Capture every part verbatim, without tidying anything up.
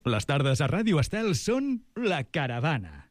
Les tardes a Ràdio Estel són La Caravana.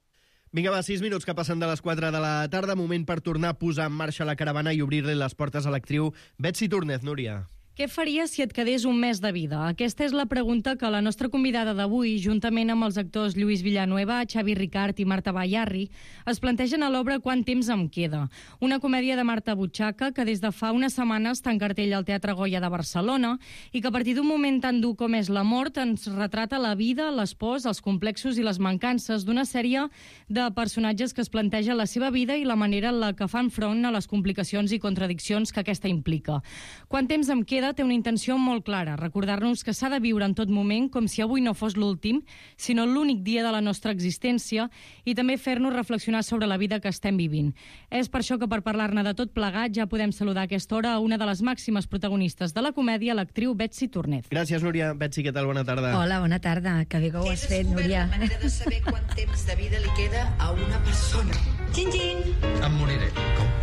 Vinga, va, sis minuts que passen de les quatre de la tarda. Moment per tornar a posar en marxa la caravana i obrir-li les portes a l'actriu Betsy Túrnez. Núria. Què faries si et quedés un mes de vida? Aquesta és la pregunta que la nostra convidada d'avui, juntament amb els actors Lluís Villanueva, Xavi Ricart i Marta Bayarri, es plantegen a l'obra Quant temps em queda? Una comèdia de Marta Butxaca que des de fa unes setmanes està en cartell al Teatre Goya de Barcelona i que a partir d'un moment tan dur com és la mort ens retrata la vida, les pors, els complexos i les mancances d'una sèrie de personatges que es planteja la seva vida i la manera en la que fan front a les complicacions i contradiccions que aquesta implica. Quant temps em queda té una intenció molt clara, recordar-nos que s'ha de viure en tot moment com si avui no fos l'últim, sinó l'únic dia de la nostra existència, i també fer-nos reflexionar sobre la vida que estem vivint. És per això que per parlar-ne de tot plegat ja podem saludar a aquesta hora a una de les màximes protagonistes de la comèdia, l'actriu Betsy Túrnez. Gràcies, Núria. Betsy, què tal? Bona tarda. Hola, bona tarda. Que bé que ho has fet, Núria. La manera de saber quant temps de vida li queda a una persona. Xin-xin! Em moriré. Com?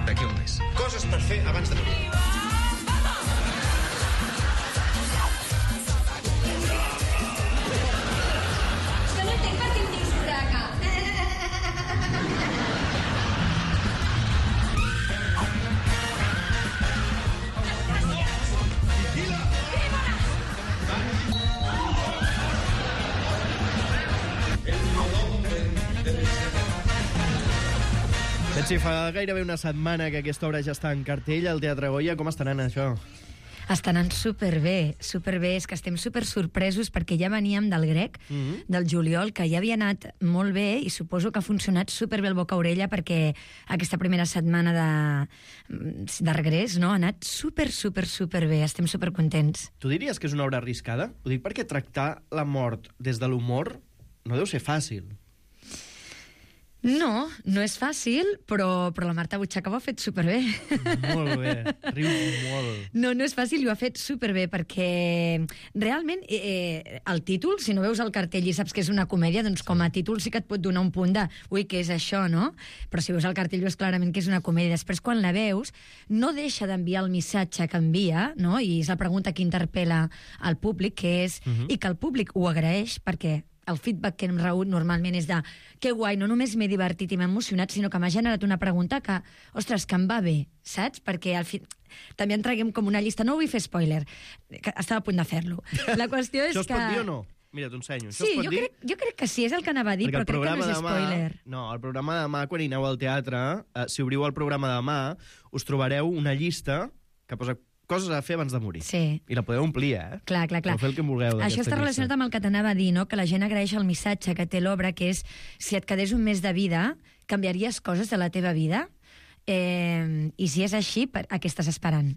D'aquí un mes. Coses per fer abans de morir. Betsy, fa gairebé una setmana que aquesta obra ja està en cartell al Teatre Goya. Com està anant això? Està anant superbé, superbé. És que estem super sorpresos perquè ja veníem del grec, mm-hmm. del juliol, que ja havia anat molt bé i suposo que ha funcionat superbé el boca-orella perquè aquesta primera setmana de, de regrés, no? Ha anat super, super, superbé. Estem supercontents. Tu diries que és una obra arriscada? Ho dic perquè tractar la mort des de l'humor no deu ser fàcil. No, no és fàcil, però, però la Marta Butxaca ho ha fet superbé. Molt bé, riu molt. No, no és fàcil i ho ha fet superbé, perquè realment eh, el títol, si no veus el cartell i saps que és una comèdia, doncs com a títol sí que et pot donar un punt de ui, què és això, no? Però si veus el cartell veus clarament que és una comèdia. Després, quan la veus, no deixa d'enviar el missatge que envia, no? I és la pregunta que interpel·la al públic, que és, uh-huh. i que el públic ho agraeix, perquè el feedback que hem rebut normalment és de que guai, no només m'he divertit i m'he emocionat, sinó que m'ha generat una pregunta que, ostres, que em va bé, saps? Perquè al fi... també en traguem com una llista, no vull fer spoiler, que estava a punt de fer-lo. La qüestió és Això es que... pot dir o no? Mira, t'ho ensenyo. Això Sí, es pot jo dir? crec, jo crec que sí, és el que anava a dir, Perquè però crec que no és demà, spoiler. No, el programa de demà, quan hi aneu al teatre, eh, si obriu el programa de demà, us trobareu una llista que posa coses a fer abans de morir. Sí. I la podeu omplir, eh? Clar, clar, clar. Podeu fer el que vulgueu. Això està relacionat amb el que t'anava a dir, no? Que la gent agraeix el missatge que té l'obra, que és, si et quedés un mes de vida, canviaries coses de la teva vida? Eh, I si és així, per, a què estàs esperant?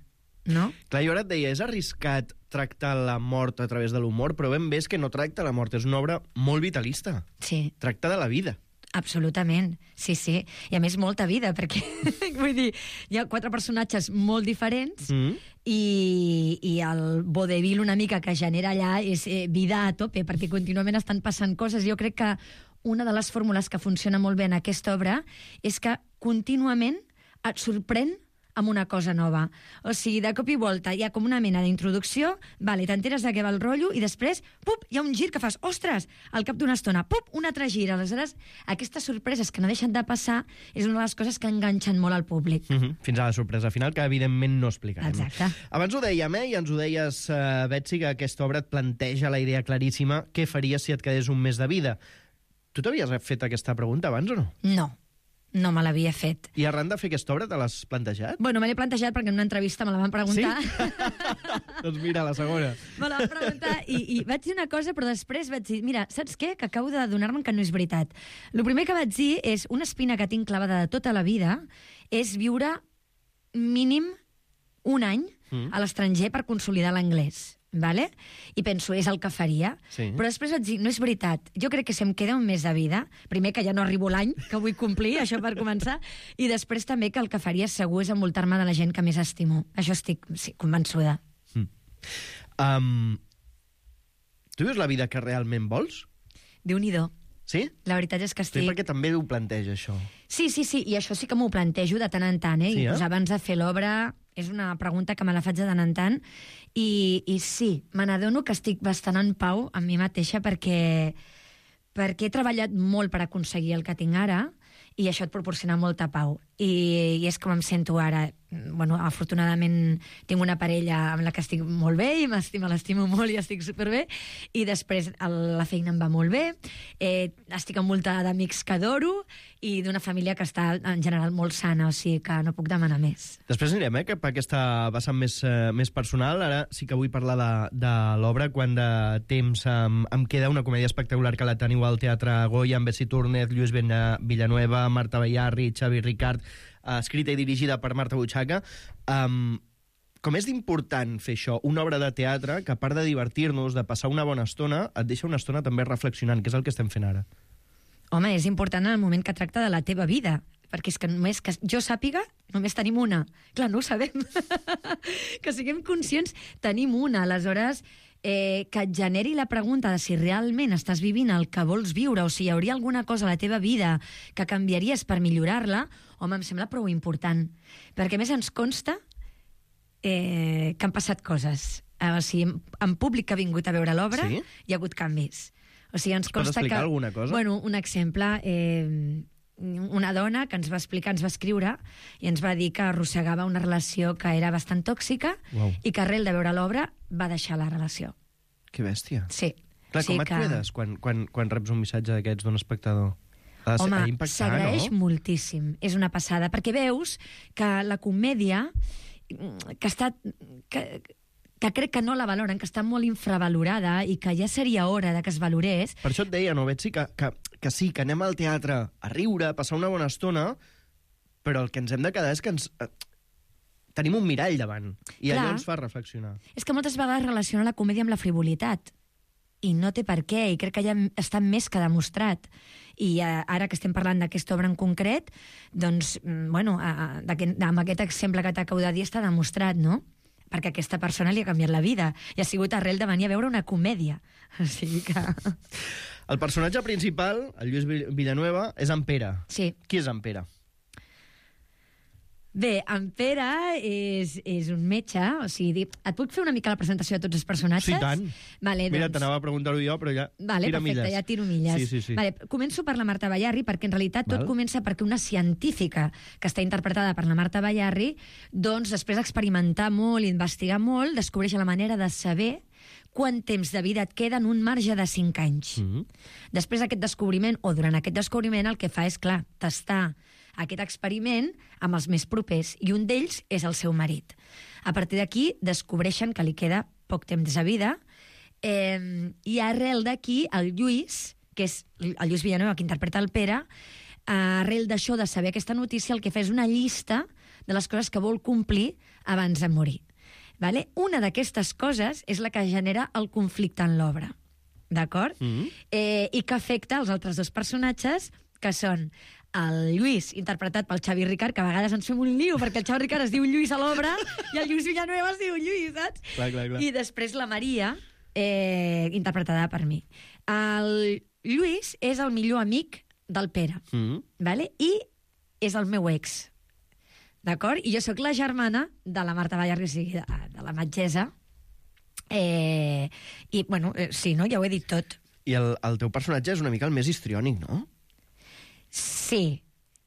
No? Clar, jo ara et deia, és arriscat tractar la mort a través de l'humor, però ben bé és que no tracta la mort, és una obra molt vitalista. Sí. Tracta de la vida. Absolutament, sí, sí. I a més molta vida, perquè vull dir, hi ha quatre personatges molt diferents mm. i, i el vodevil una mica que genera allà és eh, vida a tope, perquè contínuament estan passant coses. Jo crec que una de les fórmules que funciona molt bé en aquesta obra és que contínuament et sorprèn amb una cosa nova. O sigui, de cop i volta hi ha com una mena d'introducció, vale, t'enteres de què va el rotllo, i després, pup, hi ha un gir que fas, ostres, al cap d'una estona, pup, un altre gir. Aleshores, aquestes sorpreses que no deixen de passar és una de les coses que enganxen molt al públic. Mm-hmm. Fins a la sorpresa final, que evidentment no explicarem. Exacte. Abans ho dèiem, eh? I ens ho deies, uh, Betsy, que aquesta obra et planteja la idea claríssima, què faries si et quedés un mes de vida? Tu t'havies fet aquesta pregunta abans o no? No. No me l'havia fet. I arran de fer aquesta obra te l'has plantejat? Bueno, me l'he plantejat perquè en una entrevista me la van preguntar. Sí? Doncs mira, la segona. Me la van preguntar i, i vaig dir una cosa, però després vaig dir, mira, saps què? Que acabo d'adonar-me que no és veritat. El primer que vaig dir és, una espina que tinc clavada de tota la vida és viure mínim un any mm. a l'estranger per consolidar l'anglès. Vale? I penso, és el que faria. Sí. Però després vaig dir, no és veritat. Jo crec que si em queda un mes de vida, primer que ja no arribo l'any que vull complir, això per començar, i després també que el que faria segur és envoltar-me de la gent que més estimo. Això estic sí, convençuda. Mm. Um, tu vius la vida que realment vols? Déu-n'hi-do. Sí? La veritat és que estic... Sí, perquè també ho planteja, això. Sí, sí, sí, i això sí que m'ho plantejo de tant en tant, eh? Sí, I eh? pues, abans de fer l'obra és una pregunta que me la faig de tant en tant, i, i sí, me n'adono que estic bastant en pau amb mi mateixa perquè, perquè he treballat molt per aconseguir el que tinc ara, i això et proporciona molta pau. I, i és com em sento ara. Bueno, afortunadament tinc una parella amb la que estic molt bé i m'estimo, l'estimo molt i estic superbé, i després el, la feina em va molt bé, eh, estic envoltada d'amics que adoro i d'una família que està en general molt sana, o sigui que no puc demanar més. Després anirem eh, cap a aquesta vessant més, eh, més personal. Ara sí que vull parlar de, de l'obra. Quant de temps em, em queda, una comèdia espectacular que la teniu al Teatre Goya, amb Bessi Túrnez, Lluís Villanueva, Marta Bayarri, Xavi Ricart, escrita i dirigida per Marta Butxaca. Um, com és d'important fer això, una obra de teatre que, a part de divertir-nos, de passar una bona estona, et deixa una estona també reflexionant, que és el que estem fent ara? Home, és important en el moment que tracta de la teva vida, perquè és que només que jo sàpiga, només tenim una. Clar, no ho sabem. Que siguem conscients, tenim una. Aleshores, eh, que et generi la pregunta de si realment estàs vivint el que vols viure o si hi hauria alguna cosa a la teva vida que canviaries per millorar-la, home, em sembla prou important. Perquè, a més, ens consta eh, que han passat coses. Eh, o sigui, en públic que ha vingut a veure l'obra, sí? Hi ha hagut canvis. O sigui, ens consta explicar que... alguna cosa? Bueno, un exemple... Eh, una dona que ens va explicar, ens va escriure i ens va dir que arrossegava una relació que era bastant tòxica. Wow. I que arrel de veure l'obra va deixar la relació. Que bèstia. Sí. Clar, sí com et que... quedes quan, quan, quan reps un missatge d'aquests d'un espectador? Ha Home, s'agraeix no? moltíssim. És una passada, perquè veus que la comèdia que està... Que, que crec que no la valoren, que està molt infravalorada i que ja seria hora de que es valorés. Per això et deia, no, Betsy, que, que, que sí, que anem al teatre a riure, a passar una bona estona, però el que ens hem de quedar és que ens... Eh, tenim un mirall davant, i Clar. Allò ens fa reflexionar. És que moltes vegades relaciona la comèdia amb la frivolitat, i no té per què, i crec que ja està més que demostrat. I eh, ara que estem parlant d'aquesta obra en concret, doncs, bueno, a, a, amb aquest exemple que t'acabo de dir està demostrat, no? Perquè aquesta persona li ha canviat la vida i ha sigut arrel de venir a veure una comèdia. O sigui que... El personatge principal, el Lluís Villanueva, és en Pere. Sí. Qui és en Pere? Bé, en Pere és, és un metge, o sigui, et puc fer una mica la presentació de tots els personatges? Sí, tant. Vale, Mira, doncs... t'anava a preguntar-ho jo, però ja vale, tira perfecte, milles. ja tiro milles. Sí, sí, sí. Vale, començo per la Marta Bayarri, perquè en realitat tot Val. comença perquè una científica que està interpretada per la Marta Bayarri, doncs després d'experimentar molt i investigar molt, descobreix la manera de saber quant temps de vida et queda en un marge de cinc anys. Mm-hmm. Després d'aquest descobriment, o durant aquest descobriment, el que fa és, clar, tastar aquest experiment amb els més propers, i un d'ells és el seu marit. A partir d'aquí, descobreixen que li queda poc temps de vida, eh, i arrel d'aquí, el Lluís, que és el Lluís Villanueva, que interpreta el Pere, arrel d'això, de saber aquesta notícia, el que fa és una llista de les coses que vol complir abans de morir. Vale? Una d'aquestes coses és la que genera el conflicte en l'obra, d'acord? Mm-hmm. eh, I que afecta els altres dos personatges, que són el Lluís, interpretat pel Xavi Ricart, que a vegades ens fem un lío, perquè el Xavi Ricart es diu Lluís a l'obra i el Lluís Villanueva es diu Lluís, saps? Clar, clar, clar. I després la Maria, eh, interpretada per mi. El Lluís és el millor amic del Pere, mm-hmm. vale? I és el meu ex, d'acord? I jo sóc la germana de la Marta Bayarri, o sigui, de, de la metgessa. Eh, I, bueno, eh, sí, no? Ja ho he dit tot. I el, el teu personatge és una mica el més histriònic, no? Sí,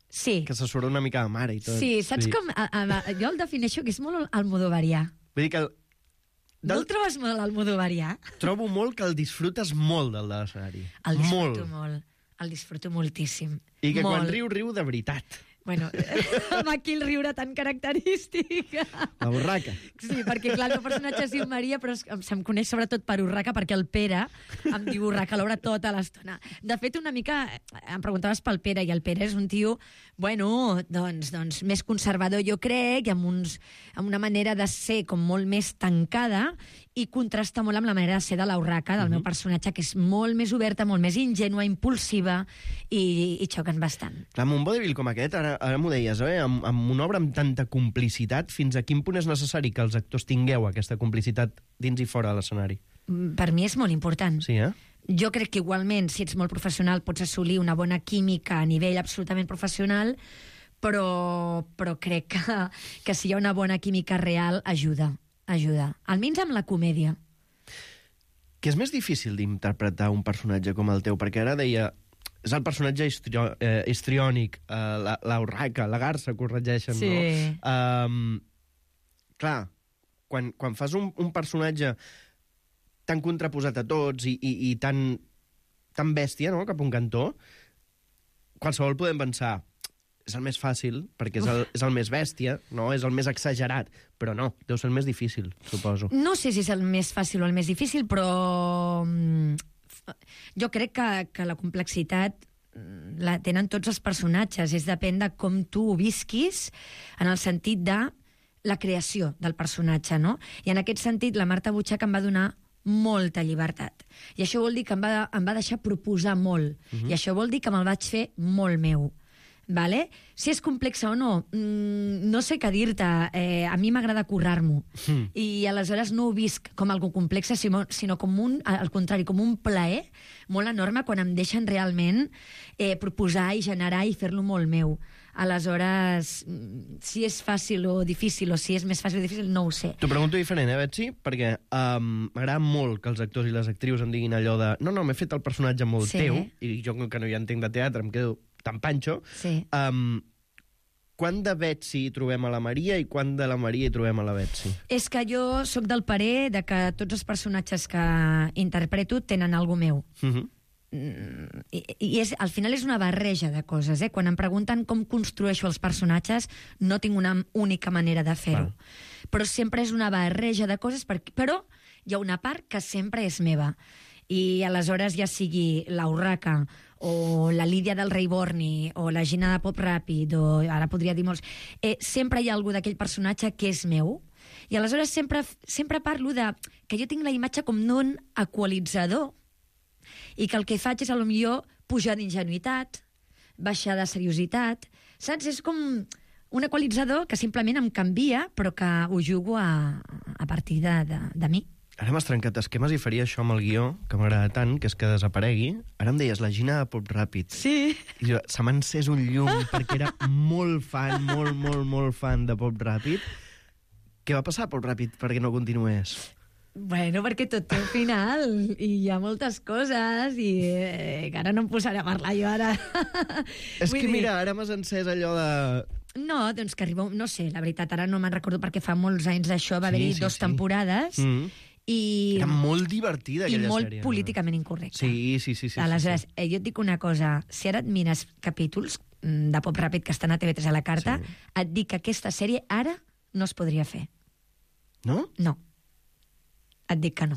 sí. Que se surt una mica de mare i tot. Sí, saps sí. com... A, a, jo el defineixo que és molt almodovarià. Vull dir que... El, del... No el trobes molt almodovarià? Trobo molt que el disfrutes molt, del de l'escenari. El disfruto molt. molt. El disfruto moltíssim. I que molt. Quan riu, riu de veritat. Bueno, amb aquell riure tan característic. La borraca. Sí, perquè clar, el meu personatge es diu Maria, però em, se'm coneix sobretot per Urraca, perquè el Pere em diu Urraca a l'obra tota l'estona. De fet, una mica, em preguntaves pel Pere, i el Pere és un tio, bueno, doncs, doncs més conservador, jo crec, i amb, uns, amb una manera de ser com molt més tancada, i contrasta molt amb la manera de ser de l'Urraca, del uh-huh. meu personatge, que és molt més oberta, molt més ingènua, impulsiva, i, i xoquen bastant. Clar, amb un vodevil com aquest, ara, ara m'ho deies, eh? amb, amb una obra amb tanta complicitat, fins a quin punt és necessari que els actors tingueu aquesta complicitat dins i fora de l'escenari? Per mi és molt important. Sí, eh? Jo crec que igualment, si ets molt professional, pots assolir una bona química a nivell absolutament professional, però, però crec que, que si hi ha una bona química real, ajuda, ajuda. Almenys amb la comèdia. Que és més difícil d'interpretar un personatge com el teu, perquè ara deia... És el personatge histrio, eh, histriònic, eh, la, la urraca, la garça, corregeixen, Sí. no? Um, clar, quan, quan fas un, un personatge tan contraposat a tots i, i, i tan, tan bèstia, no?, cap a un cantó, qualsevol podem pensar és el més fàcil, perquè és el, és el més bèstia, no? És el més exagerat, però no, deu ser el més difícil, suposo. No sé si és el més fàcil o el més difícil, però mm, jo crec que, que la complexitat mm, la tenen tots els personatges, és depèn de com tu ho visquis, en el sentit de la creació del personatge, no? I en aquest sentit, la Marta Butxac em va donar molta llibertat. I això vol dir que em va, em va deixar proposar molt. Uh-huh. I això vol dir que me'l vaig fer molt meu. Vale? Si és complexa o no, mmm, no sé què dir-te. Eh, a mi m'agrada currar-m'ho. Mm. I aleshores no ho visc com algo complexa, sinó, sinó com un, al contrari, com un plaer molt enorme quan em deixen realment eh, proposar i generar i fer-lo molt meu. Aleshores, si és fàcil o difícil, o si és més fàcil o difícil, no ho sé. T'ho pregunto diferent, eh, Betsy? Perquè um, m'agrada molt que els actors i les actrius em diguin allò de no, no, m'he fet el personatge molt Sí. teu, i jo, que no hi entenc de teatre, em quedo tan panxo. Sí. Um, quan de Betsy hi trobem a la Maria i quan de la Maria hi trobem a la Betsy? És que jo sóc del parer de que tots els personatges que interpreto tenen alguna meu. Uh -huh. I, i és, al final és una barreja de coses, eh? Quan em pregunten com construeixo els personatges, no tinc una única manera de fer-ho. Però sempre és una barreja de coses, per, però hi ha una part que sempre és meva. I aleshores, ja sigui la Urraca, o la Lídia del Rei Borni, o la Gina de Pop Ràpid, o ara podria dir molts... Eh, sempre hi ha algú d'aquell personatge que és meu, i aleshores sempre, sempre parlo de que jo tinc la imatge com d'un equalitzador, i que el que faig és, a lo millor, pujar d'ingenuïtat, baixar de seriositat, saps? És com un equalitzador que simplement em canvia, però que ho jugo a, a partir de, de, de mi. Ara m'has trencat esquemes i faria això amb el guió, que m'agrada tant, que és que desaparegui. Ara em deies la Gina de Pop Ràpid. Sí. I jo, se m'ha encès un llum perquè era molt fan, molt, molt, molt fan de Pop Ràpid. Què va passar a Pop Ràpid perquè no continués? Bueno, perquè tot té un final i hi ha moltes coses i eh, que ara no em posaré a parlar jo ara. És Vull que dir... mira, ara m'has encès allò de... No, doncs que arriba... No sé, la veritat, ara no me'n recordo perquè fa molts anys d'això, va Sí, haver-hi sí, dos sí. temporades Mm. i... Era molt divertida, i aquella molt sèrie. políticament incorrecta. Sí, sí, sí. sí Aleshores, sí, sí. eh, jo et dic una cosa, si ara et mires capítols mm, de Pop Ràpid que estan a T V tres a la carta, Sí. et dic que aquesta sèrie ara no es podria fer. No? No. Et dic que no.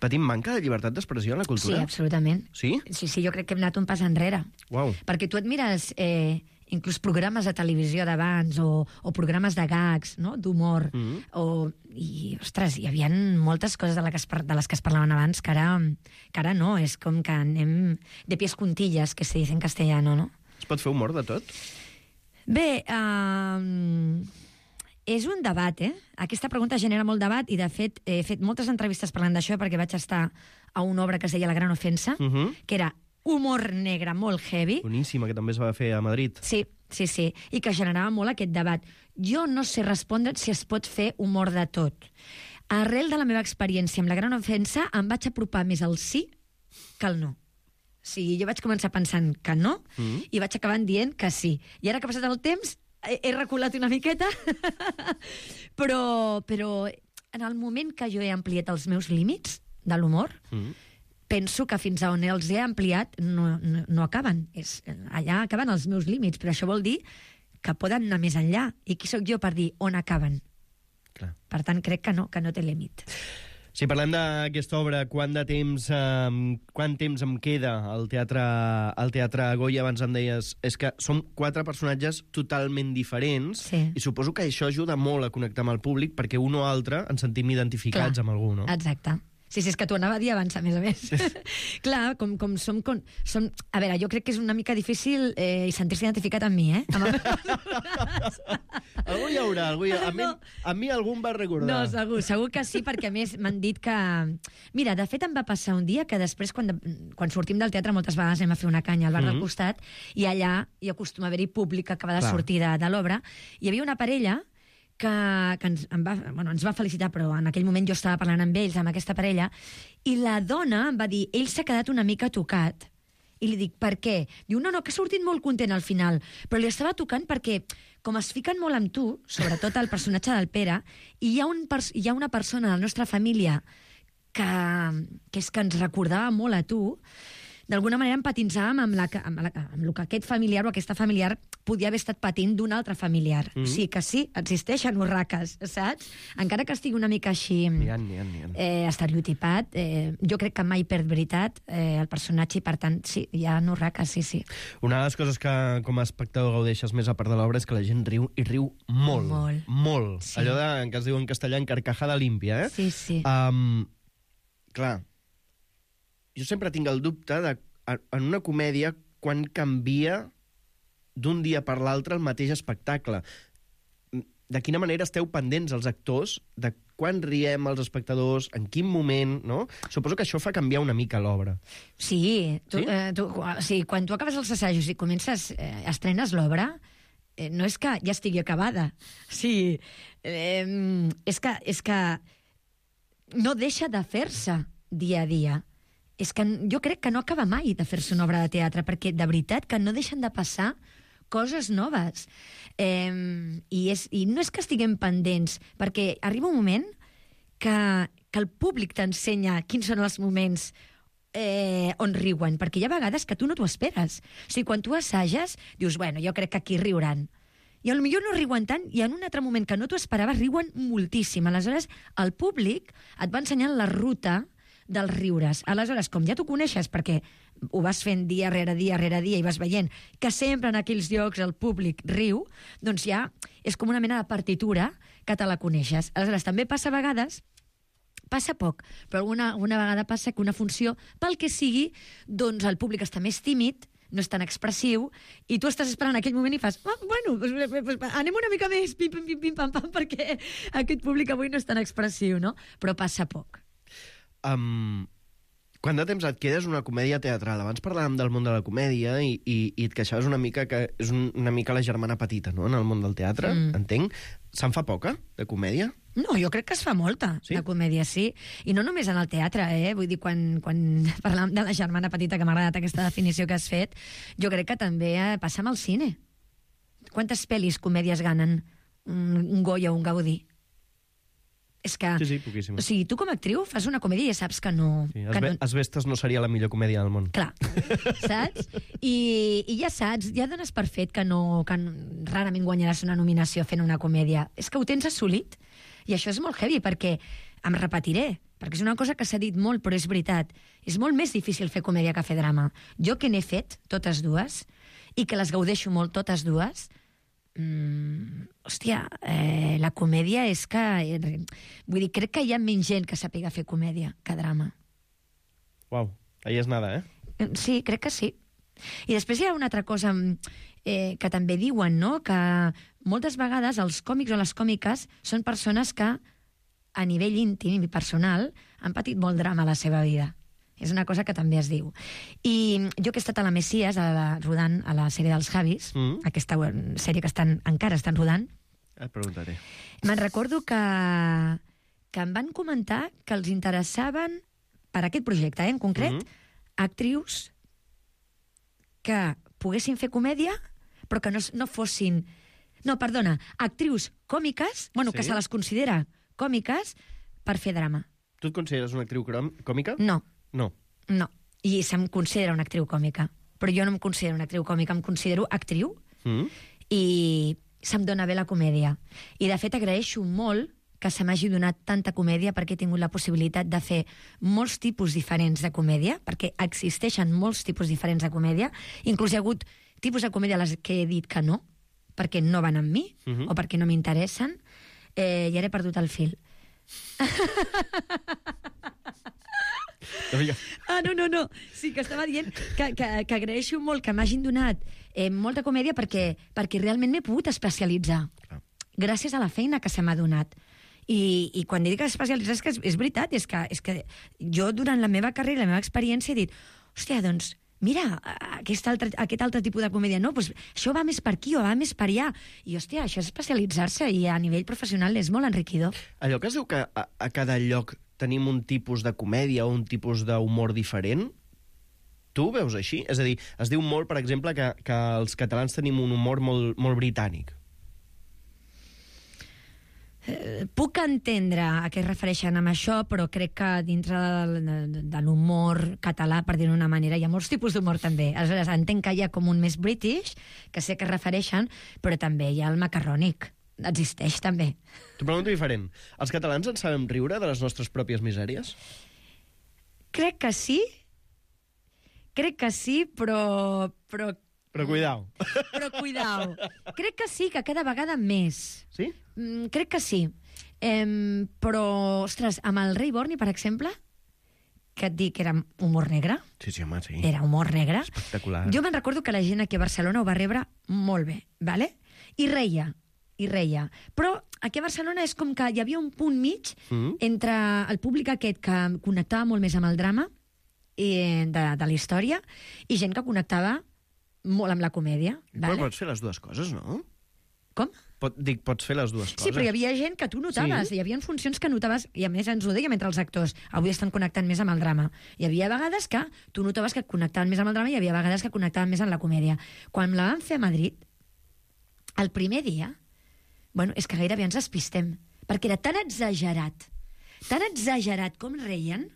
Patim manca de llibertat d'expressió en la Sí, cultura? absolutament. Sí? Sí, sí, jo crec que hem anat un pas enrere. Uau. Perquè tu et mires eh, inclús programes de televisió d'abans o, o programes de gags, no?, d'humor, Mm -hmm. o, i, ostres, hi havia moltes coses de, la que es, par- de les que es parlaven abans que ara, que ara no, és com que anem de pies juntillas, que se dice en castellano, no? Es pot fer humor de tot? Bé, uh, és un debat, eh? Aquesta pregunta genera molt debat i, de fet, he fet moltes entrevistes parlant d'això perquè vaig estar a una obra que es deia La gran ofensa, Uh -huh. que era humor negre molt heavy. Boníssima, que també es va fer a Madrid. Sí, sí, sí, i que generava molt aquest debat. Jo no sé respondre si es pot fer humor de tot. Arrel de la meva experiència amb La gran ofensa, em vaig apropar més al sí que al no. O sigui, jo vaig començar pensant que no Mm. i vaig acabar dient que sí. I ara que ha passat el temps, he, he reculat una miqueta, però, però en el moment que jo he ampliat els meus límits de l'humor, Mm. penso que fins a on els he ampliat no, no, no acaben. És, allà acaben els meus límits, però això vol dir que poden anar més enllà. I qui sóc jo per dir on acaben? Clar. Per tant, crec que no, que no té límit. Si parlem d'aquesta obra, quant de temps, eh, quant temps em queda al teatre, al teatre Goya? Abans em deies, és que són quatre personatges totalment diferents, Sí. i suposo que això ajuda molt a connectar amb el públic, perquè un o altre ens sentim identificats Clar. amb algú, no? Exacte. Sí, sí, és que t'ho anava a dir abans, a més a més. Clar, com, com som, com som... A veure, jo crec que és una mica difícil eh, sentir-se identificat amb mi, eh? Amb el... Algú hi haurà, algú hi haurà. A, mi, a mi algú em va recordar. No, segur, segur que sí, perquè a més m'han dit que... Mira, de fet em va passar un dia que després, quan, de... quan sortim del teatre, moltes vegades anem a fer una canya al bar mm-hmm. del costat, i allà hi acostuma a haver-hi públic que acaba de Clar. sortir de, de l'obra. Hi havia una parella que, que ens, em va, bueno, ens va felicitar, però en aquell moment jo estava parlant amb ells, amb aquesta parella, i la dona em va dir, ell s'ha quedat una mica tocat. I li dic, per què? Diu, no, no, que ha sortit molt content al final, però li estava tocant perquè, com es fiquen molt amb tu, sobretot el personatge del Pere, i hi ha, un hi ha una persona de la nostra família que, que és que ens recordava molt a tu, d'alguna manera empatitzàvem amb, la, amb, la, amb el que aquest familiar o aquesta familiar podia haver estat patint d'un altre familiar. Mm. Sí que sí, existeixen urraques, saps? Encara que estigui una mica així N'hi ha, n'hi ha, n'hi ha. Eh, estereotipat, eh, jo crec que mai perd veritat eh, el personatge i, per tant, sí, hi ha urraques, sí, sí. Una de les coses que com a espectador gaudeixes més a part de l'obra és que la gent riu, i riu molt. Molt. Molt. Sí. Allò de, que es diu en castellà, encarcajada límpia, eh? Sí, sí. Um, clar, jo sempre tinc el dubte de, en una comèdia, quan canvia d'un dia per l'altre el mateix espectacle. De quina manera esteu pendents, els actors, de quan riem els espectadors, en quin moment, no? Suposo que això fa canviar una mica l'obra. Sí, tu, Sí? Eh, tu, sí, quan tu acabes els assajos i comences, eh, estrenes l'obra, eh, no és que ja estigui acabada. Sí, eh, és que, és que no deixa de fer-se dia a dia. És que jo crec que no acaba mai de fer-se una obra de teatre, perquè de veritat que no deixen de passar coses noves. Eh, i, és, I no és que estiguem pendents, perquè arriba un moment que, que el públic t'ensenya quins són els moments eh, on riuen, perquè hi ha vegades que tu no t'ho esperes. O sigui, quan tu assages, dius, bueno, jo crec que aquí riuran. I potser no riuen tant, i en un altre moment que no t'ho esperaves, riuen moltíssim. Aleshores, el públic et va ensenyant la ruta dels riures. Aleshores, com ja t'ho coneixes, perquè ho vas fent dia rere dia rere dia i vas veient que sempre en aquells llocs el públic riu, doncs ja és com una mena de partitura que te la coneixes. Aleshores, també passa a vegades, passa poc, però alguna, alguna vegada passa que una funció, pel que sigui, doncs el públic està més tímid, no és tan expressiu, i tu estàs esperant aquell moment i fas, oh, bueno, pues, pues, anem una mica més, pim, pim, pim, pim, pam, pam, perquè aquest públic avui no és tan expressiu, no? Però passa poc. Um, quant de temps et quedes una comèdia teatral? Abans parlàvem del món de la comèdia i, i, i et queixaves una mica que és un, una mica la germana petita, no?, en el món del teatre, mm. entenc. Se'n fa poca, de comèdia? No, jo crec que es fa molta, sí? de comèdia, sí. I no només en el teatre, eh? Vull dir, quan, quan parlàvem de la germana petita, que m'ha agradat aquesta definició que has fet, jo crec que també eh, passa amb el cine. Quantes pel·lis, comèdies ganen un, un Goya o un Gaudí? És que... Sí, sí, poquíssim. O sigui, tu com a actriu fas una comèdia i ja saps que no... Sí, que Asbe no... Asbestes no seria la millor comèdia del món. Clar, saps? I, I ja saps, ja dones per fet que, no, que rarament guanyaràs una nominació fent una comèdia. És que ho tens assolit. I això és molt heavy, perquè em repetiré, perquè és una cosa que s'ha dit molt, però és veritat. És molt més difícil fer comèdia que fer drama. Jo que n'he fet, totes dues, i que les gaudeixo molt, totes dues, Mm, hòstia, eh, la comèdia és que... Eh, vull dir, crec que hi ha menys gent que sàpiga fer comèdia que drama. Uau, ahí és nada, eh? Sí, crec que sí. I després hi ha una altra cosa eh, que també diuen, no?, que moltes vegades els còmics o les còmiques són persones que a nivell íntim i personal han patit molt drama a la seva vida. És una cosa que també es diu. I jo que he estat a la Messies, a la, rodant a la sèrie dels Javis, mm. aquesta sèrie que estan, encara estan rodant, et preguntaré. Me'n recordo que, que em van comentar que els interessaven, per aquest projecte, eh, en concret, mm. actrius que poguessin fer comèdia, però que no, no fossin... No, perdona, actrius còmiques, bueno, sí? Que se les considera còmiques, per fer drama. Tu et consideres una actriu còmica? No. No. No. I se'm considera una actriu còmica. Però jo no em considero una actriu còmica, em considero actriu mm. i se'm dona bé la comèdia. I, de fet, agraeixo molt que se m'hagi donat tanta comèdia perquè he tingut la possibilitat de fer molts tipus diferents de comèdia, perquè existeixen molts tipus diferents de comèdia. Inclús hi ha hagut tipus de comèdia a les que he dit que no, perquè no van amb mi, mm-hmm. o perquè no m'interessen, eh, i ara he perdut el fil. Ah, no, no, no. Sí, que estava dient que, que, que agraeixo molt que m'hagin donat eh, molta comèdia perquè, perquè realment m'he pogut especialitzar. Clar. Gràcies a la feina que se m'ha donat. I, i quan dic especialitzar és que és, és veritat, és que, és que jo durant la meva carrera, la meva experiència, he dit, hòstia, doncs, mira, aquest altre, aquest altre tipus de comèdia, no, doncs això va més per aquí o va més per allà. I, hòstia, això és especialitzar-se i a nivell professional és molt enriquidor. Allò que es diu que a, a cada lloc tenim un tipus de comèdia o un tipus d'humor diferent, tu ho veus així? És a dir, es diu molt, per exemple, que, que els catalans tenim un humor molt, molt britànic. Eh, puc entendre a què es refereixen amb això, però crec que dintre de, de, de l'humor català, per dir-ho d'una manera, hi ha molts tipus d'humor també. Aleshores, entenc que hi ha com un més british, que sé que es refereixen, però també hi ha el macarrònic. Existeix també. T'ho pregunto diferent. Els catalans en sabem riure de les nostres pròpies misèries? Crec que sí. Crec que sí, però... però Però cuidao. Però cuidao. Crec que sí, que cada vegada més. Sí? Mm, crec que sí. Em, però, ostres, amb el Rei Borni, per exemple, que et dic que era humor negre. Sí, sí, home, sí. Era humor negre. Espectacular. Jo me'n recordo que la gent aquí a Barcelona ho va rebre molt bé, ¿vale? I reia, i reia. Però aquí a Barcelona és com que hi havia un punt mig Mm. entre el públic aquest que connectava molt més amb el drama i de, de la història i gent que connectava molt amb la comèdia. Però Vale? pots fer les dues coses, no? Com? Pot, dic, pots fer les dues coses. Sí, però hi havia gent que tu notaves, Sí? hi havia funcions que notaves, i a més ens ho deien entre els actors, avui estan connectant més amb el drama. Hi havia vegades que tu notaves que connectaven més amb el drama i hi havia vegades que connectaven més amb la comèdia. Quan la vam fer a Madrid, el primer dia, bueno, és que gairebé ens despistem, perquè era tan exagerat, tan exagerat com reien,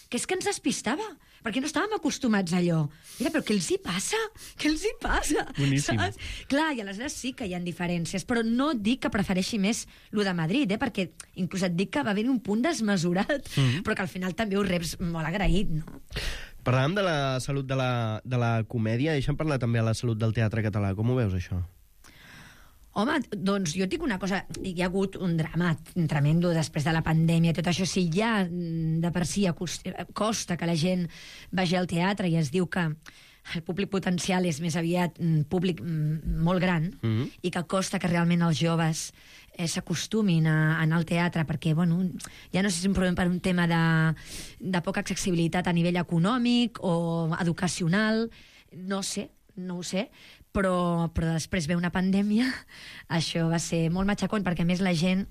que és que ens despistava, perquè no estàvem acostumats a allò. Mira, però què els hi passa? Què els hi passa? Boníssim. Saps? Clar, i aleshores sí que hi ha diferències, però no dic que prefereixi més lo de Madrid, eh? Perquè inclús et dic que va haver un punt desmesurat, mm-hmm. però que al final també ho reps molt agraït, no? Parlàvem de la salut de la, de la comèdia, deixa'm parlar també de la salut del teatre català. Com ho veus, això? Home, doncs jo et dic una cosa, hi ha hagut un drama tremendo després de la pandèmia, tot això, si ja de per si costa que la gent vagi al teatre i es diu que el públic potencial és més aviat un públic molt gran mm-hmm. i que costa que realment els joves eh, s'acostumin a, a anar al teatre perquè, bueno, ja no sé si és un problema per un tema de, de poca accessibilitat a nivell econòmic o educacional, no sé, no ho sé, però, però després ve una pandèmia, això va ser molt matxacón, perquè a més la gent,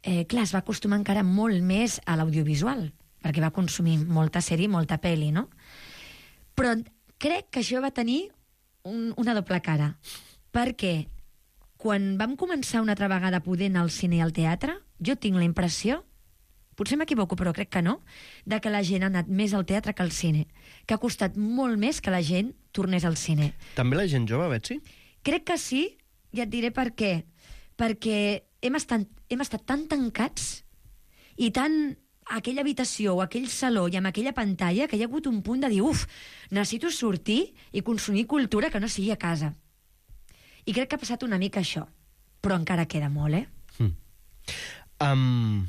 eh, clar, es va acostumar encara molt més a l'audiovisual, perquè va consumir molta sèrie, molta pel·li, no? Però crec que això va tenir un, una doble cara, perquè quan vam començar una altra vegada a poder anar al cine i al teatre, jo tinc la impressió, potser m'equivoco, però crec que no, de que la gent ha anat més al teatre que al cine, que ha costat molt més que la gent tornés al cine. També la gent jove, Betsy? Crec que sí, i et diré per què. Perquè hem estat, hem estat tan tancats i tan a aquella habitació o aquell saló i amb aquella pantalla que hi ha hagut un punt de dir, uf, necessito sortir i consumir cultura que no sigui a casa. I crec que ha passat una mica això, però encara queda molt, eh? Mm. Um,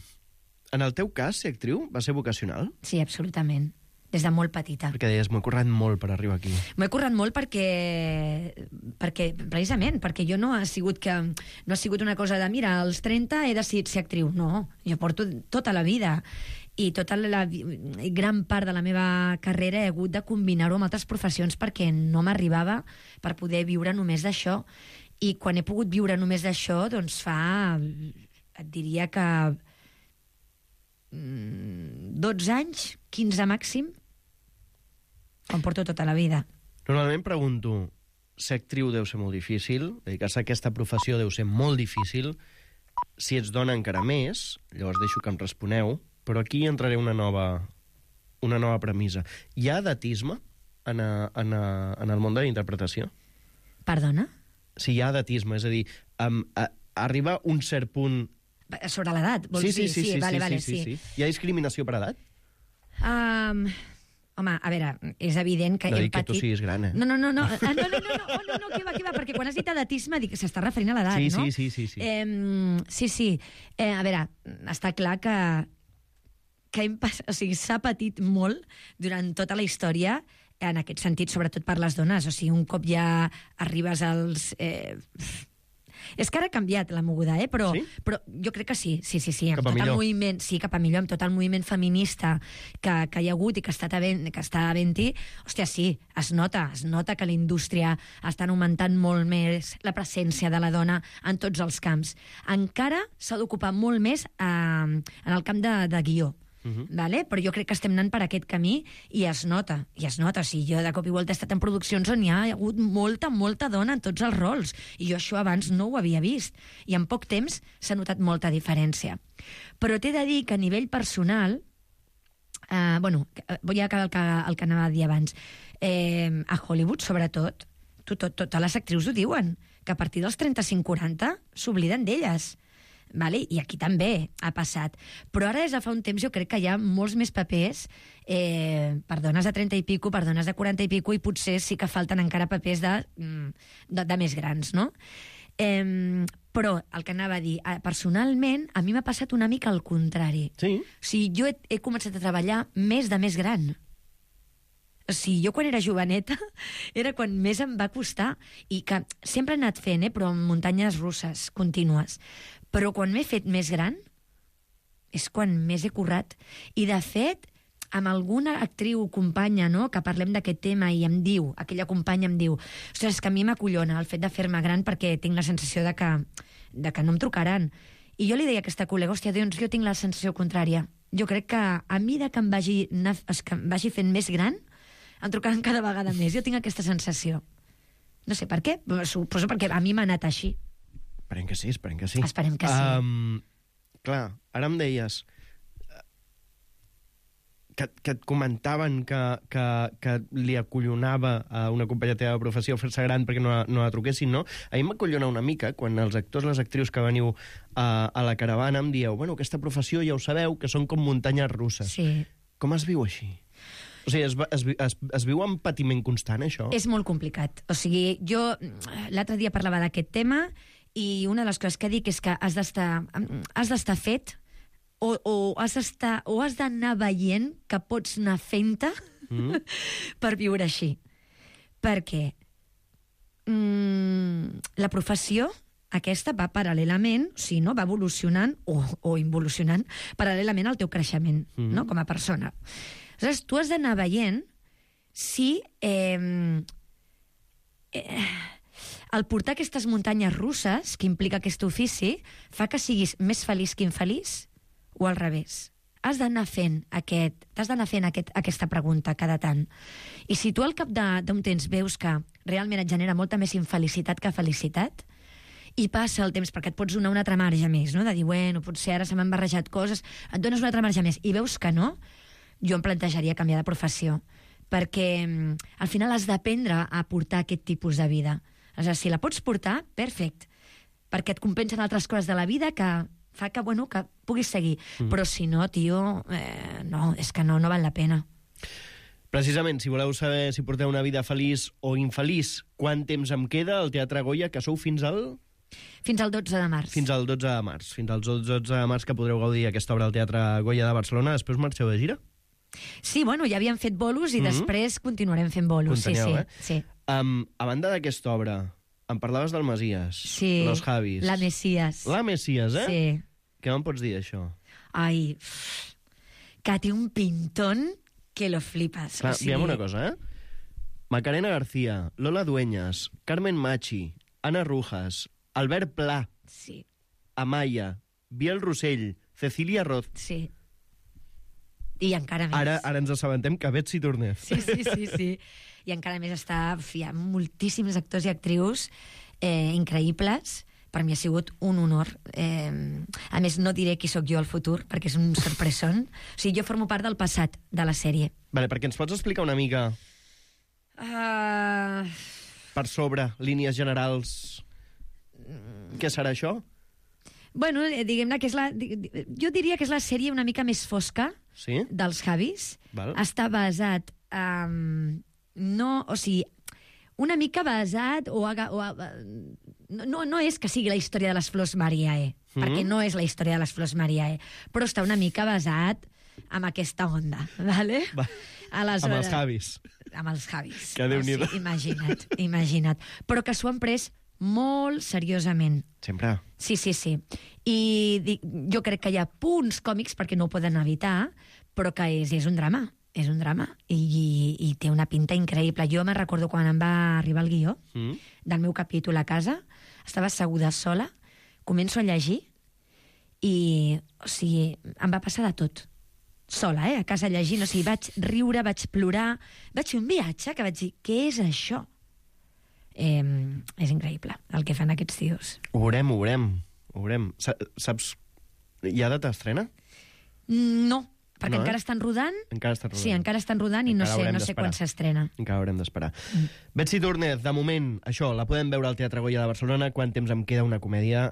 en el teu cas, ser actriu va ser vocacional? Sí, absolutament. Des de molt petita. Perquè deies, m'ho he currat molt per arribar aquí. M'ho he currat molt perquè, perquè, precisament, perquè jo no ha sigut que no ha sigut una cosa de, mira, als trenta he decidit ser actriu. No, jo porto tota la vida i tota la gran part de la meva carrera he hagut de combinar-ho amb altres professions perquè no m'arribava per poder viure només d'això. I quan he pogut viure només d'això, doncs fa, et diria que dotze anys, quinze màxim, em porto tota la vida. Normalment pregunto, ser actriu deu ser molt difícil, dedicar-se a aquesta professió deu ser molt difícil, si ets dona encara més, llavors deixo que em responeu, però aquí entraré una nova, una nova premissa. Hi ha edatisme en, a, en, a, en el món de la interpretació? Perdona? Si hi ha edatisme, és a dir, um, a, arriba un cert punt... Sobre l'edat, vols sí, sí, dir? Sí, sí, sí, vale, sí, vale, sí, sí. sí. Hi ha discriminació per edat? Um, home, a veure, és evident que no hem dic que patit... tu siguis gran, eh? No, no, no, no, ah, no, no, no, no, oh, no, no, què va, què va, perquè quan has dit edatisme dic, s'està referint a l'edat, sí, no? Sí, sí, sí. Sí, eh, sí, sí. Eh, a veure, està clar que que hem pas... o sigui, s'ha patit molt durant tota la història, en aquest sentit, sobretot per les dones. O sigui, un cop ja arribes als... Eh... És que ara ha canviat la moguda, eh? Però, sí? però jo crec que sí, sí, sí, sí. Amb Cap a tot millor. el moviment, sí, cap a millor, amb tot el moviment feminista que, que hi ha hagut i que està havent, que està havent-hi, hòstia, sí, es nota, es nota que la indústria està augmentant molt més la presència de la dona en tots els camps. Encara s'ha d'ocupar molt més eh, en el camp de, de guió. Uh-huh. Vale? Però jo crec que estem anant per aquest camí i es nota, i es nota. O sigui, jo de cop i volta he estat en produccions on hi ha hagut molta, molta dona en tots els rols, i jo això abans no ho havia vist, i en poc temps s'ha notat molta diferència. Però t'he de dir que a nivell personal, eh, bueno, vull acabar el que, el que anava a dir abans, eh, a Hollywood, sobretot, tot, tot, totes les actrius ho diuen, que a partir dels trenta-cinc quaranta s'obliden d'elles. Vale? I aquí també ha passat. Però ara, des de fa un temps, jo crec que hi ha molts més papers eh, per dones de trenta i pico, per dones de quaranta i pico, i potser sí que falten encara papers de, de, de més grans, no? Eh, però el que anava a dir, personalment, a mi m'ha passat una mica al contrari. Sí? O sigui, jo he, he començat a treballar més de més gran. O sigui, jo quan era joveneta era quan més em va costar, i que sempre he anat fent, eh, però en muntanyes russes contínues. Però quan m'he fet més gran és quan més he currat. I, de fet, amb alguna actriu companya, no?, que parlem d'aquest tema i em diu, aquella companya em diu, ostres, és que a mi m'acollona el fet de fer-me gran perquè tinc la sensació de que, de que no em trucaran. I jo li deia a aquesta col·lega, hòstia, doncs jo tinc la sensació contrària. Jo crec que a mi de que em vagi, que em vagi fent més gran, em trucaran cada vegada més. Jo tinc aquesta sensació. No sé per què, suposo perquè a mi m'ha anat així. Esperem que sí, esperem que sí. Esperem que sí. Um, clar, ara em deies que, que et comentaven que, que, que li acollonava a una companya teva de professió fer-se gran perquè no, no la truquessin, no? A mi m'acollona una mica quan els actors, les actrius que veniu a, a la caravana em dieu, bueno, aquesta professió ja ho sabeu, que són com muntanyes russes. Sí. Com es viu així? O sigui, es, es, es, es viu amb patiment constant, això? És molt complicat. O sigui, jo l'altre dia parlava d'aquest tema i una de les coses que dic és que has d'estar has d'estar fet o, o has d'estar o has d'anar veient que pots anar fent-te mm. per viure així. Perquè mm, la professió aquesta va paral·lelament, o sigui, no? Va evolucionant o, o involucionant paral·lelament al teu creixement, mm. no? Com a persona. Aleshores, tu has d'anar veient si eh, eh, el portar aquestes muntanyes russes, que implica aquest ofici, fa que siguis més feliç que infeliç, o al revés. Has d'anar fent, aquest, has d'anar fent aquest, aquesta pregunta cada tant. I si tu al cap d'un temps veus que realment et genera molta més infelicitat que felicitat, i passa el temps, perquè et pots donar una altra marge més, no? De dir, bueno, potser ara se m'han barrejat coses, et dones una altra marge més, i veus que no, jo em plantejaria canviar de professió, perquè al final has d'aprendre a portar aquest tipus de vida. És a dir, si la pots portar, perfecte, perquè et compensen altres coses de la vida que fa que, bueno, que puguis seguir. Mm. Però si no, tio, eh, no, és que no, no val la pena. Precisament, si voleu saber si porteu una vida feliç o infeliç, quant temps em queda al Teatre Goya, que sou fins al... Fins al dotze de març. Fins al dotze de març. Fins al dotze de març que podreu gaudir aquesta obra al Teatre Goya de Barcelona. Després marxeu de gira? Sí, bueno, ja havíem fet bolos i mm-hmm. després continuarem fent bolos. Continueu, sí, eh? sí, sí. Um, a banda d'aquesta obra, em parlaves del Masies, sí, Los Javis. La Messias. La Messias, eh? Sí. Què me'n pots dir, això? Ai, que té un pintón que lo flipas. Clar, o sigui... diguem una cosa, eh? Macarena García, Lola Dueñas, Carmen Machi, Ana Rujas, Albert Pla, sí. Amaya, Biel Rossell, Cecília Roth. Sí. I encara més. Ara, ara ens assabentem que Betsy Tornez. Sí, sí, sí, sí. I encara més està... Hi ha moltíssims actors i actrius eh, increïbles. Per mi ha sigut un honor. Eh, a més, no diré qui sóc jo al futur, perquè és un sorpresón. O sigui, jo formo part del passat de la sèrie. Vale, perquè ens pots explicar una mica... Uh... Per sobre, línies generals... Què serà això? Bueno, diguem-ne que és la... Jo diria que és la sèrie una mica més fosca sí? dels Javis. Val. Està basat... Um, no, o sigui, una mica basat... O, o, no, no és que sigui la història de les Flors Mariae, mm. perquè no és la història de les Flors Mariae, però està una mica basat amb aquesta onda, vale? Va. Aleshores, Amb els Javis. Amb els Javis. Que Déu-n'hi-do. Sí, imagina't, imagina't. Però que s'ho han pres molt seriosament. Sempre. Sí, sí, sí. I dic, jo crec que hi ha punts còmics perquè no ho poden evitar, però que és, és un drama. És un drama. I, i, i té una pinta increïble. Jo me'n recordo quan em va arribar el guió mm. del meu capítol a casa, estava asseguda sola, començo a llegir i, o sigui, em va passar de tot. Sola, eh? A casa llegint, o sigui, vaig riure, vaig plorar, vaig fer un viatge que vaig dir, què és això? Eh, és increïble el que fan aquests tios. Ho veurem, ho veurem. Ho veurem. Saps, hi ha data d'estrena? No, perquè no, encara eh? estan rodant. Encara estan rodant. Sí, encara estan rodant i encara no sé, no sé quan s'estrena. Encara haurem d'esperar. Mm. Betsy Túrnez, de moment, això, la podem veure al Teatre Goya de Barcelona. Quant temps em queda una comèdia...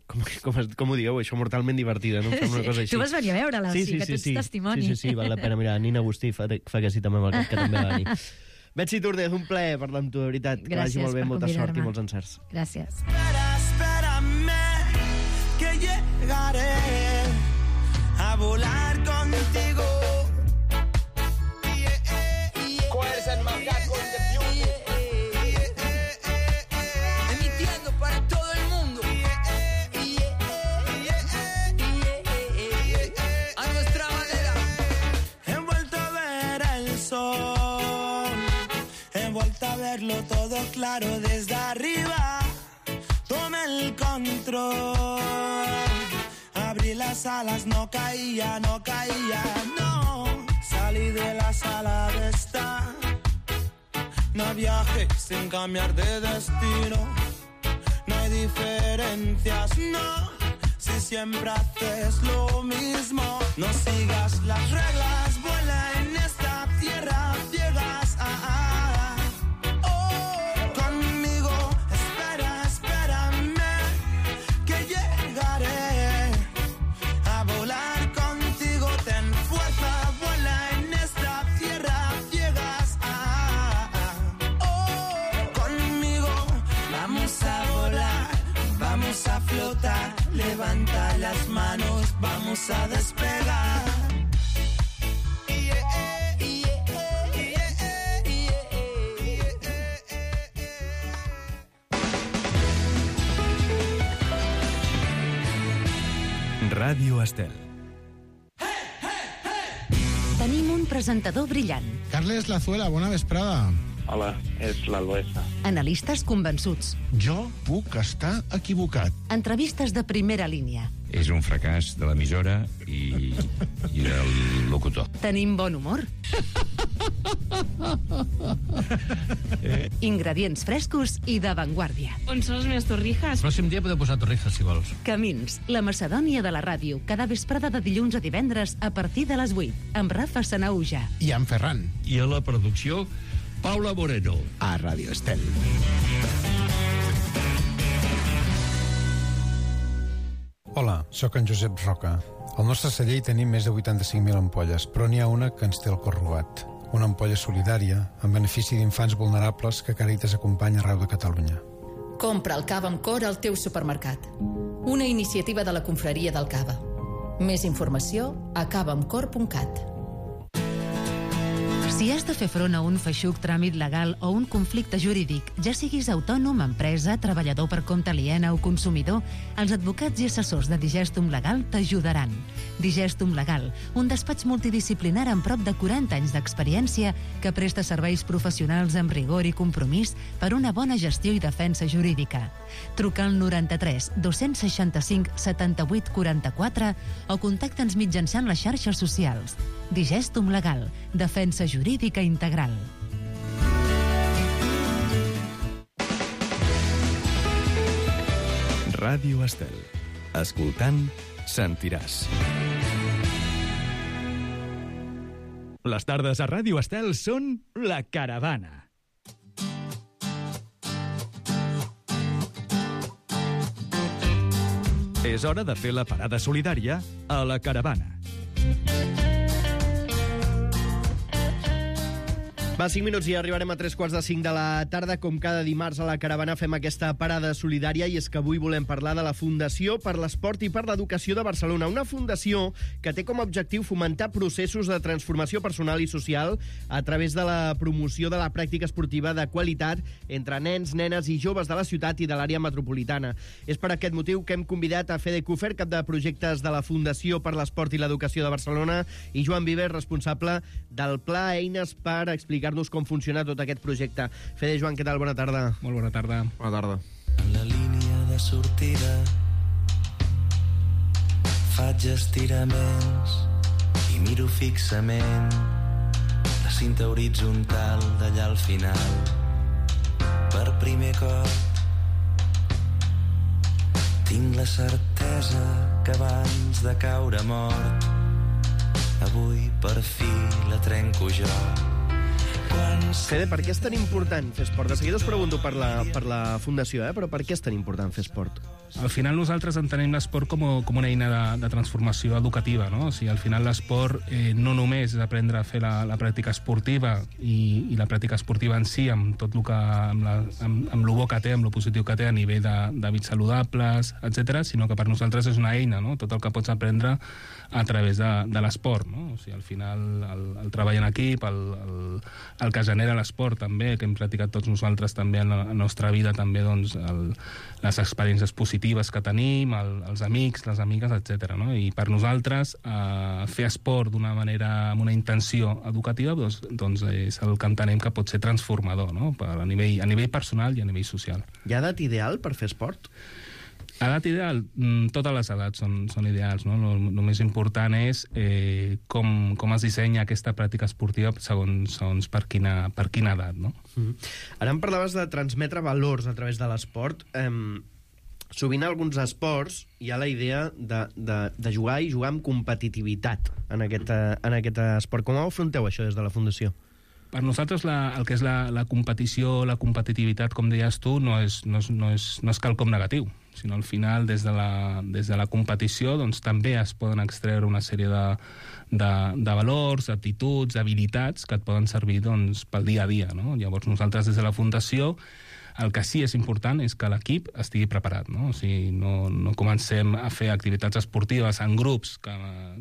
Com, com, com ho digueu, això, mortalment divertida, no? Una cosa així. Tu vas venir a veure-la, sí, o sigui, sí, que sí, tu ets sí. testimoni. Sí, sí, sí, val la pena. Mira, Nina Agustí fa, fa que sí també amb el cap, que també va venir. Betsy Túrnez, un plaer parlar amb tu, de veritat. Que vagi molt bé, molta sort i molts encerts. Gràcies. Espera, espérame, que llegaré a volar contigo. ¿Cuál es el más gato de Beauty? Emitiendo para todo el mundo. A nuestra manera. He vuelto a ver el sol, he vuelto a verlo todo claro desde arriba. Tomé el control, abrí las alas, no caía, no caía, no. Salí de la sala de estar, no viajé sin cambiar de destino. No hay diferencias, no, si siempre haces lo mismo. No sigas las reglas, vuela en esta tierra, llegas a... a, oh, conmigo, espera, espérame, que llegaré a volar contigo. Ten fuerza, vuela en esta tierra, llegas a... a, oh, conmigo, vamos a volar, vamos a flotar. Levanta las manos, vamos a despegar. Ràdio Estel. Tenim un presentador brillant. Carles Lazuela, bona vesprada. Hola, és l'Alboesa. Analistes convençuts. Jo puc estar equivocat. Entrevistes de primera línia. És un fracàs de l'emissora i, i del locutor. Tenim bon humor. Ingredients frescos i d'avantguàrdia. On són les meves torrijas? El pròxim dia podeu posar torrijas, si vols. Camins, la Macedònia de la ràdio, cada vesprada de dilluns a divendres a partir de les vuit, amb Rafa Sanauja. I en Ferran. I a la producció, Paula Moreno. A Ràdio Estel. Hola, sóc en Josep Roca. Al nostre celler hi tenim més de vuitanta-cinc mil ampolles, però n'hi ha una que ens té el cor robat. Una ampolla solidària, en benefici d'infants vulnerables que Càritas acompanya arreu de Catalunya. Compra el cava amb cor al teu supermercat. Una iniciativa de la Confraria del Cava. Més informació a cava amb cor punt cat. Si has de fer front a un feixuc tràmit legal o un conflicte jurídic, ja siguis autònom, empresa, treballador per compte aliena o consumidor, els advocats i assessors de Digestum Legal t'ajudaran. Digestum Legal, un despatx multidisciplinar amb prop de quaranta anys d'experiència que presta serveis professionals amb rigor i compromís per una bona gestió i defensa jurídica. Truca al noranta-tres dos-cents seixanta-cinc setanta-vuit quaranta-quatre o contacta'ns mitjançant les xarxes socials. Digestum Legal, defensa jurídica integral. Ràdio Estel. Escoltant, sentiràs. Les tardes a Ràdio Estel són La Caravana. És hora de fer la parada solidària a La Caravana. Va, cinc minuts i arribarem a tres quarts de cinc de la tarda. Com cada dimarts a la Caravana fem aquesta parada solidària i és que avui volem parlar de la Fundació per l'Esport i per l'Educació de Barcelona. Una fundació que té com a objectiu fomentar processos de transformació personal i social a través de la promoció de la pràctica esportiva de qualitat entre nens, nenes i joves de la ciutat i de l'àrea metropolitana. És per aquest motiu que hem convidat a Fede Kufer, cap de projectes de la Fundació per l'Esport i l'Educació de Barcelona, i Joan Vives, responsable del Pla Eines, per explicar-nos com funciona tot aquest projecte. Fede, Joan, què tal? Bona tarda. Molt bona tarda. Bona tarda. En la línia de sortida faig estiraments i miro fixament la cinta horitzontal d'allà al final. Per primer cop tinc la certesa que abans de caure mort avui per fi la trenco jo. Fede, per què és tan important fer esport? De seguida us pregunto per la, per la Fundació, eh? Però per què és tan important fer esport? Al final nosaltres entenem l'esport com, com una eina de, de transformació educativa, no? O sigui, al final l'esport eh, no només és aprendre a fer la, la pràctica esportiva i, i la pràctica esportiva en si, amb tot el que, amb, la, amb, amb lo bo que té, amb lo positiu que té a nivell d'hàbits saludables, etcètera, sinó que per nosaltres és una eina, no? Tot el que pots aprendre a través de, de l'esport, no? O sigui, al final el, el treball en equip, el, el, el que genera l'esport també, que hem practicat tots nosaltres també en la, en la nostra vida, també doncs, el, les experiències positives que tenim, el, els amics, les amigues, etcètera. No? I per nosaltres eh, fer esport d'una manera, amb una intenció educativa, doncs, doncs és el que entenem que pot ser transformador, no? Per, a, nivell, a nivell personal i a nivell social. Hi ha edat ideal per fer esport? Edat ideal? Totes les edats són, són ideals, no? El, el més important és eh, com, com es dissenya aquesta pràctica esportiva segons, segons per, quina, per quina edat, no? Mm-hmm. Ara em parlaves de transmetre valors a través de l'esport. Eh, sovint a alguns esports hi ha la idea de, de, de jugar i jugar amb competitivitat en aquest, en aquest esport. Com ho afronteu, això, des de la Fundació? Per nosaltres la, el que és la, la competició, la competitivitat, com deies tu, no és, no és, no és, no és quelcom negatiu, sinó al final des de la, des de la competició doncs, també es poden extreure una sèrie de, de, de valors, aptituds, habilitats que et poden servir doncs, pel dia a dia. No? Llavors nosaltres des de la Fundació el que sí és important és que l'equip estigui preparat, no? O sigui, no, no comencem a fer activitats esportives en grups que,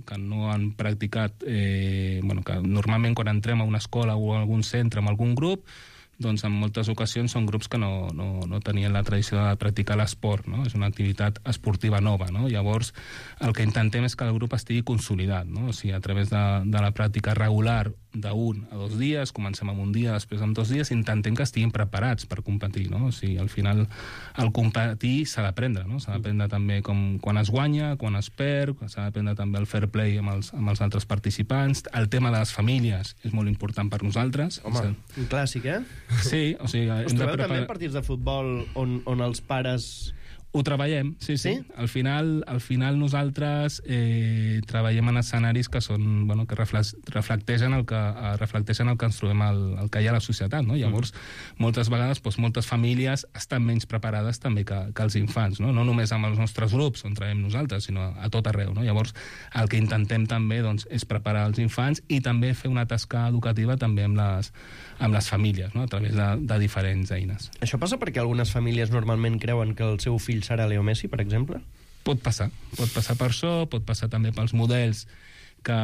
que no han practicat, eh, bueno, que normalment quan entrem a una escola o a algun centre amb algun grup, doncs en moltes ocasions són grups que no, no, no tenien la tradició de practicar l'esport, no? És una activitat esportiva nova, no? Llavors, el que intentem és que el grup estigui consolidat, no? O sigui, a través de, de la pràctica regular d'un a dos dies, comencem amb un dia, després amb dos dies, intentem que estiguin preparats per competir, no? O sigui, al final, el competir s'ha d'aprendre, no? S'ha d'aprendre també com, quan es guanya, quan es perd, s'ha d'aprendre també el fair play amb els, amb els altres participants. El tema de les famílies és molt important per nosaltres. Home, un clàssic, eh? Sí, o sigui... Us trobeu preparar... també partits de futbol on, on els pares... Ho treballem, sí, sí. Sí? Al final, al final nosaltres eh, treballem en escenaris que són, bueno, que reflecteixen el que, eh, reflecteixen el que ens trobem, el, el que hi ha a la societat, no? Llavors, mm. moltes vegades, doncs, moltes famílies estan menys preparades també que, que els infants, no? No només amb els nostres grups on treballem nosaltres, sinó a tot arreu, no? Llavors, el que intentem també, doncs, és preparar els infants i també fer una tasca educativa també amb les, amb les famílies, no? A través de, de diferents eines. Això passa perquè algunes famílies normalment creuen que el seu fill serà Leo Messi, per exemple? Pot passar. Pot passar per això, pot passar també pels models que,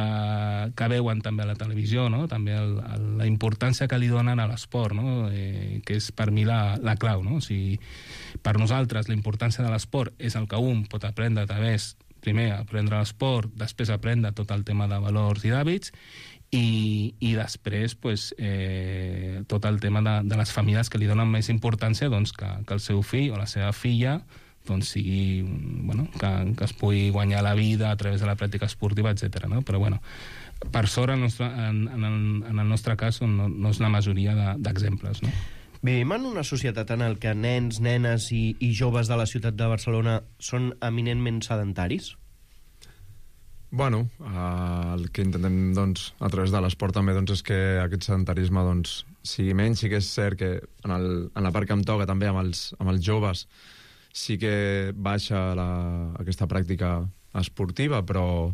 que veuen també a la televisió, no? També el, el, la importància que li donen a l'esport, no? Eh, que és per mi la, la clau, no? O sigui, per nosaltres la importància de l'esport és el que un pot aprendre a través, primer, aprendre l'esport, després aprendre tot el tema de valors i d'hàbits, i, i després pues, eh, tot el tema de, de les famílies que li donen més importància doncs, que, que el seu fill o la seva filla doncs sigui, bueno, que, que es pugui guanyar la vida a través de la pràctica esportiva, etcètera. No? Però bueno, per sort en, nostre, en, en, el, en el nostre cas no, no és la majoria d'exemples. De, no? Vivim en una societat en el que nens, nenes i, i joves de la ciutat de Barcelona són eminentment sedentaris? Bueno, eh, el que intentem doncs, a través de l'esport també doncs, és que aquest sedentarisme doncs, sigui menys. Sí que és cert que en, el, en la part que em toca també amb els, amb els joves sí que baixa la, aquesta pràctica esportiva, però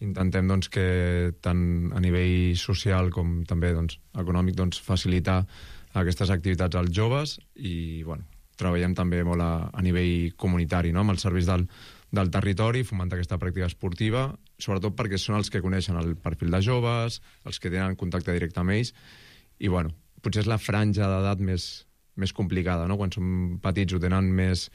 intentem doncs, que tant a nivell social com també doncs, econòmic doncs, facilitar aquestes activitats als joves i bueno, treballem també molt a, a nivell comunitari, no? Amb els serveis del, del territori, fomentar aquesta pràctica esportiva, sobretot perquè són els que coneixen el perfil de joves, els que tenen contacte directe amb ells, i bueno, potser és la franja d'edat més, més complicada, no? Quan són petits ho tenen més,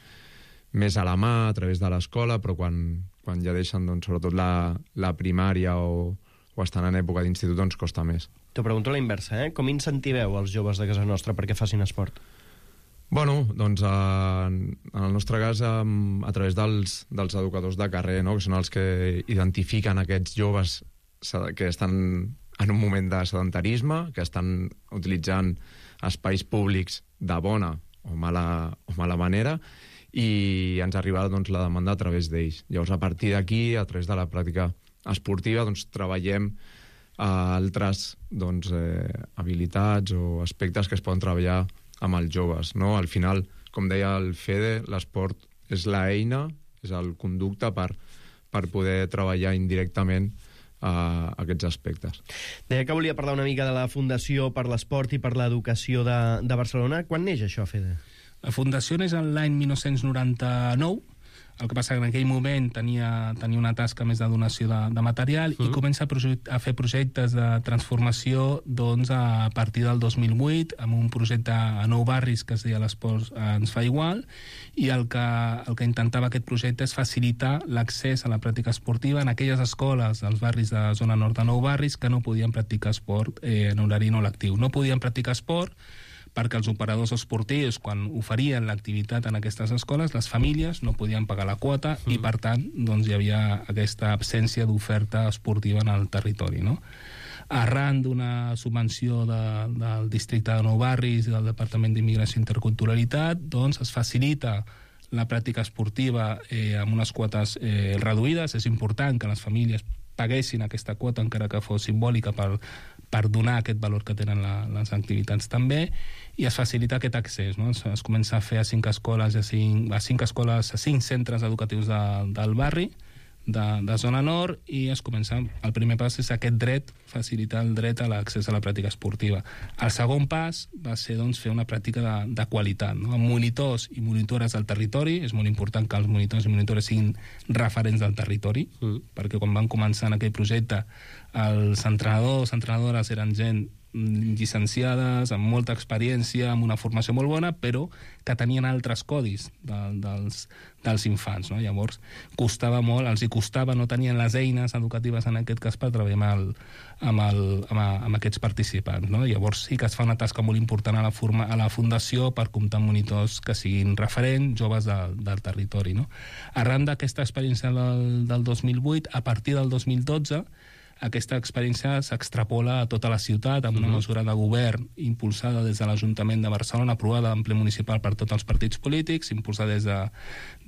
més a la mà, a través de l'escola, però quan, quan ja deixen, doncs, sobretot la, la primària o, o estan en època d'institut, doncs costa més. T'ho pregunto a la inversa, eh? Com incentiveu els joves de casa nostra perquè facin esport? Bueno, doncs en, en el nostre cas a, a través dels, dels educadors de carrer, no? Que són els que identifiquen aquests joves que estan en un moment de sedentarisme, que estan utilitzant espais públics de bona o mala, o mala manera, i ens arriba doncs, la demanda a través d'ells. Llavors, a partir d'aquí, a través de la pràctica esportiva, doncs, treballem eh, altres doncs, eh, habilitats o aspectes que es poden treballar amb els joves, no? Al final, com deia el Fede, l'esport és l'eina, és el conducte per, per poder treballar indirectament a aquests aspectes. Deia que volia parlar una mica de la Fundació per l'Esport i per l'Educació de, de Barcelona. Quan neix això, Fede? La Fundació neix l'any dinou noranta-nou, el que passa que en aquell moment tenia, tenia una tasca més de donació de, de material mm. i comença a, a fer projectes de transformació doncs, a partir del dos mil vuit, amb un projecte a Nou Barris que es deia l'Esport ens fa igual, i el que, el que intentava aquest projecte és facilitar l'accés a la pràctica esportiva en aquelles escoles dels barris de zona nord de Nou Barris que no podien practicar esport eh, en horari no lectiu. No podien practicar esport perquè els operadors esportius, quan oferien l'activitat en aquestes escoles, les famílies no podien pagar la quota mm. i, per tant, doncs, hi havia aquesta absència d'oferta esportiva en el territori, no? Arran d'una subvenció de, del districte de Nou Barris i del Departament d'Immigració i Interculturalitat, doncs, es facilita la pràctica esportiva eh, amb unes quotes eh, reduïdes. És important que les famílies paguessin aquesta quota, encara que fos simbòlica, per, per donar aquest valor que tenen la, les activitats també, i es facilita aquest accés, no? Es, es comença a fer a cinc escoles, a cinc, a cinc escoles, a cinc centres educatius de, del barri, de, de zona nord, i es comença, el primer pas és aquest dret, facilitar el dret a l'accés a la pràctica esportiva. El segon pas va ser, doncs, fer una pràctica de, de qualitat, no? Amb monitors i monitores del territori. És molt important que els monitors i monitores siguin referents del territori, mm. perquè quan van començar en aquell projecte els entrenadors, entrenadores eren gent llicenciades, amb molta experiència, amb una formació molt bona, però que tenien altres codis de, dels, dels infants, no? Llavors, costava molt, els hi costava, no tenien les eines educatives en aquest cas per treballar amb, el, amb, el, amb, a, amb aquests participants, no? Llavors sí que es fa una tasca molt important a la, forma, a la Fundació per comptar amb monitors que siguin referents, joves de, del territori, no? Arran d'aquesta experiència del, del dos mil vuit, a partir del dos mil dotze, aquesta experiència s'extrapola a tota la ciutat amb una uh-huh. mesura de govern impulsada des de l'Ajuntament de Barcelona, aprovada en ple municipal per tots els partits polítics, impulsada des de,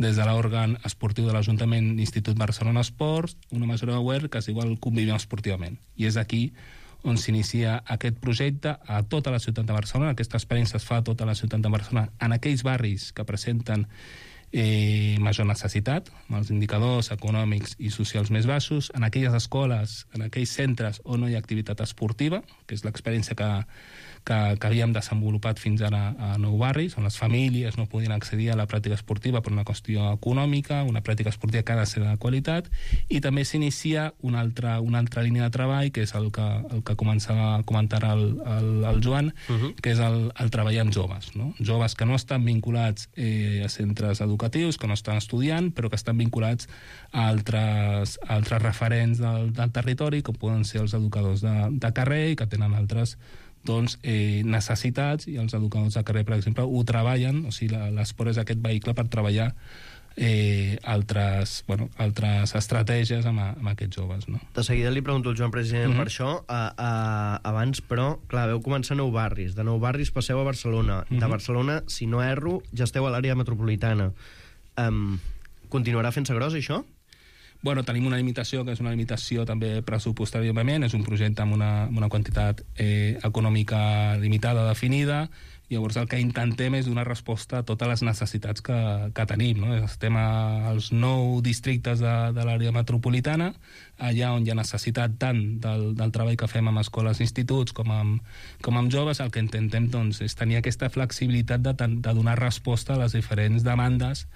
des de l'òrgan esportiu de l'Ajuntament, l'Institut Barcelona Esports, una mesura de govern que es diu el Convivim esportivament. I és aquí on s'inicia aquest projecte a tota la ciutat de Barcelona. Aquesta experiència es fa a tota la ciutat de Barcelona, en aquells barris que presenten Eh, major necessitat, amb els indicadors econòmics i socials més baixos, en aquelles escoles, en aquells centres on no hi ha activitat esportiva, que és l'experiència que, que, que havíem desenvolupat fins ara a Nou Barris, on les famílies no podien accedir a la pràctica esportiva per una qüestió econòmica, una pràctica esportiva que ha de ser de qualitat, i també s'inicia una altra, una altra línia de treball, que és el que, el que començava a comentar el, el, el Joan, uh-huh. que és el, el treballar amb joves, no? Joves que no estan vinculats eh, a centres educatius, que no estan estudiant, però que estan vinculats a altres, a altres referents del, del territori, com poden ser els educadors de, de carrer, i que tenen altres doncs, eh, necessitats, i els educadors de carrer, per exemple, ho treballen, o sigui, l'esport és aquest vehicle per treballar eh, altres, bueno, altres estratègies amb, amb aquests joves, no? De seguida li pregunto al Joan, president, Mm-hmm. per això. A, a, abans, però, clar, veu començar a Nou Barris. De Nou Barris passeu a Barcelona. Mm-hmm. De Barcelona, si no erro, ja esteu a l'àrea metropolitana. Um, continuarà fent-se gros, això? Bueno, tenim una limitació, que és una limitació també pressupostària, òbviament. És un projecte amb una, amb una quantitat eh, econòmica limitada, definida. Llavors el que intentem és donar resposta a totes les necessitats que, que tenim. No? Estem als nou districtes de, de l'àrea metropolitana, allà on hi ha necessitat tant del, del treball que fem amb escoles i instituts com amb, com amb joves, el que intentem doncs, és tenir aquesta flexibilitat de, de donar resposta a les diferents demandes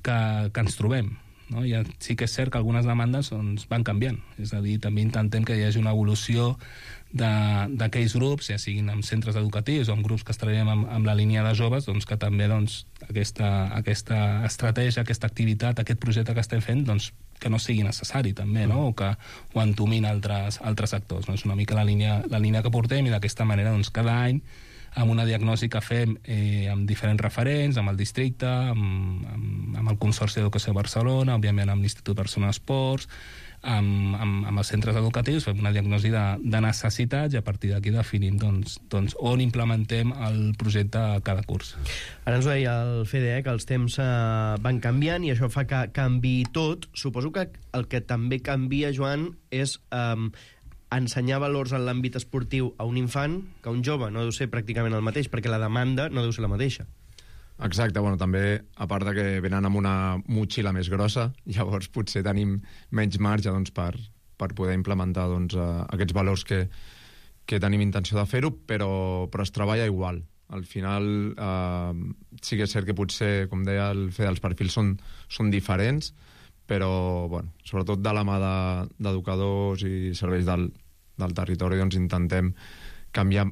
que, que ens trobem. No? I sí que és cert que algunes demandes doncs, van canviant. És a dir, també intentem que hi hagi una evolució d'aquells grups, ja siguin amb centres educatius o amb grups que es treballem amb, amb la línia de joves, doncs, que també doncs, aquesta, aquesta estratègia, aquesta activitat, aquest projecte que estem fent, doncs, que no sigui necessari també, no? O que ho entomin altres, altres actors. No? És una mica la línia, la línia que portem i d'aquesta manera doncs, cada any amb una diagnosi que fem eh, amb diferents referents, amb el districte, amb, amb, amb el Consorci d'Educació de Barcelona, òbviament amb l'Institut Barcelona Esports, amb, amb, amb els centres educatius, fem una diagnosi de, de necessitats i a partir d'aquí definim doncs, doncs, on implementem el projecte a cada curs. Ara ens ho deia el Fede, eh, que els temps eh, van canviant i això fa que canvi tot. Suposo que el que també canvia, Joan, és eh, ensenyar valors en l'àmbit esportiu a un infant que a un jove. No deu ser pràcticament el mateix, perquè la demanda no deu ser la mateixa. Exacte, bueno, també, a part de que venen amb una motxilla més grossa, llavors potser tenim menys marge doncs, per, per poder implementar doncs, uh, aquests valors que, que tenim intenció de fer-ho, però, però es treballa igual. Al final, uh, sí que és cert que potser, com deia el Fede, els perfils són, són diferents, però, bueno, sobretot de la mà d'educadors de, i serveis del, del territori, doncs intentem canviar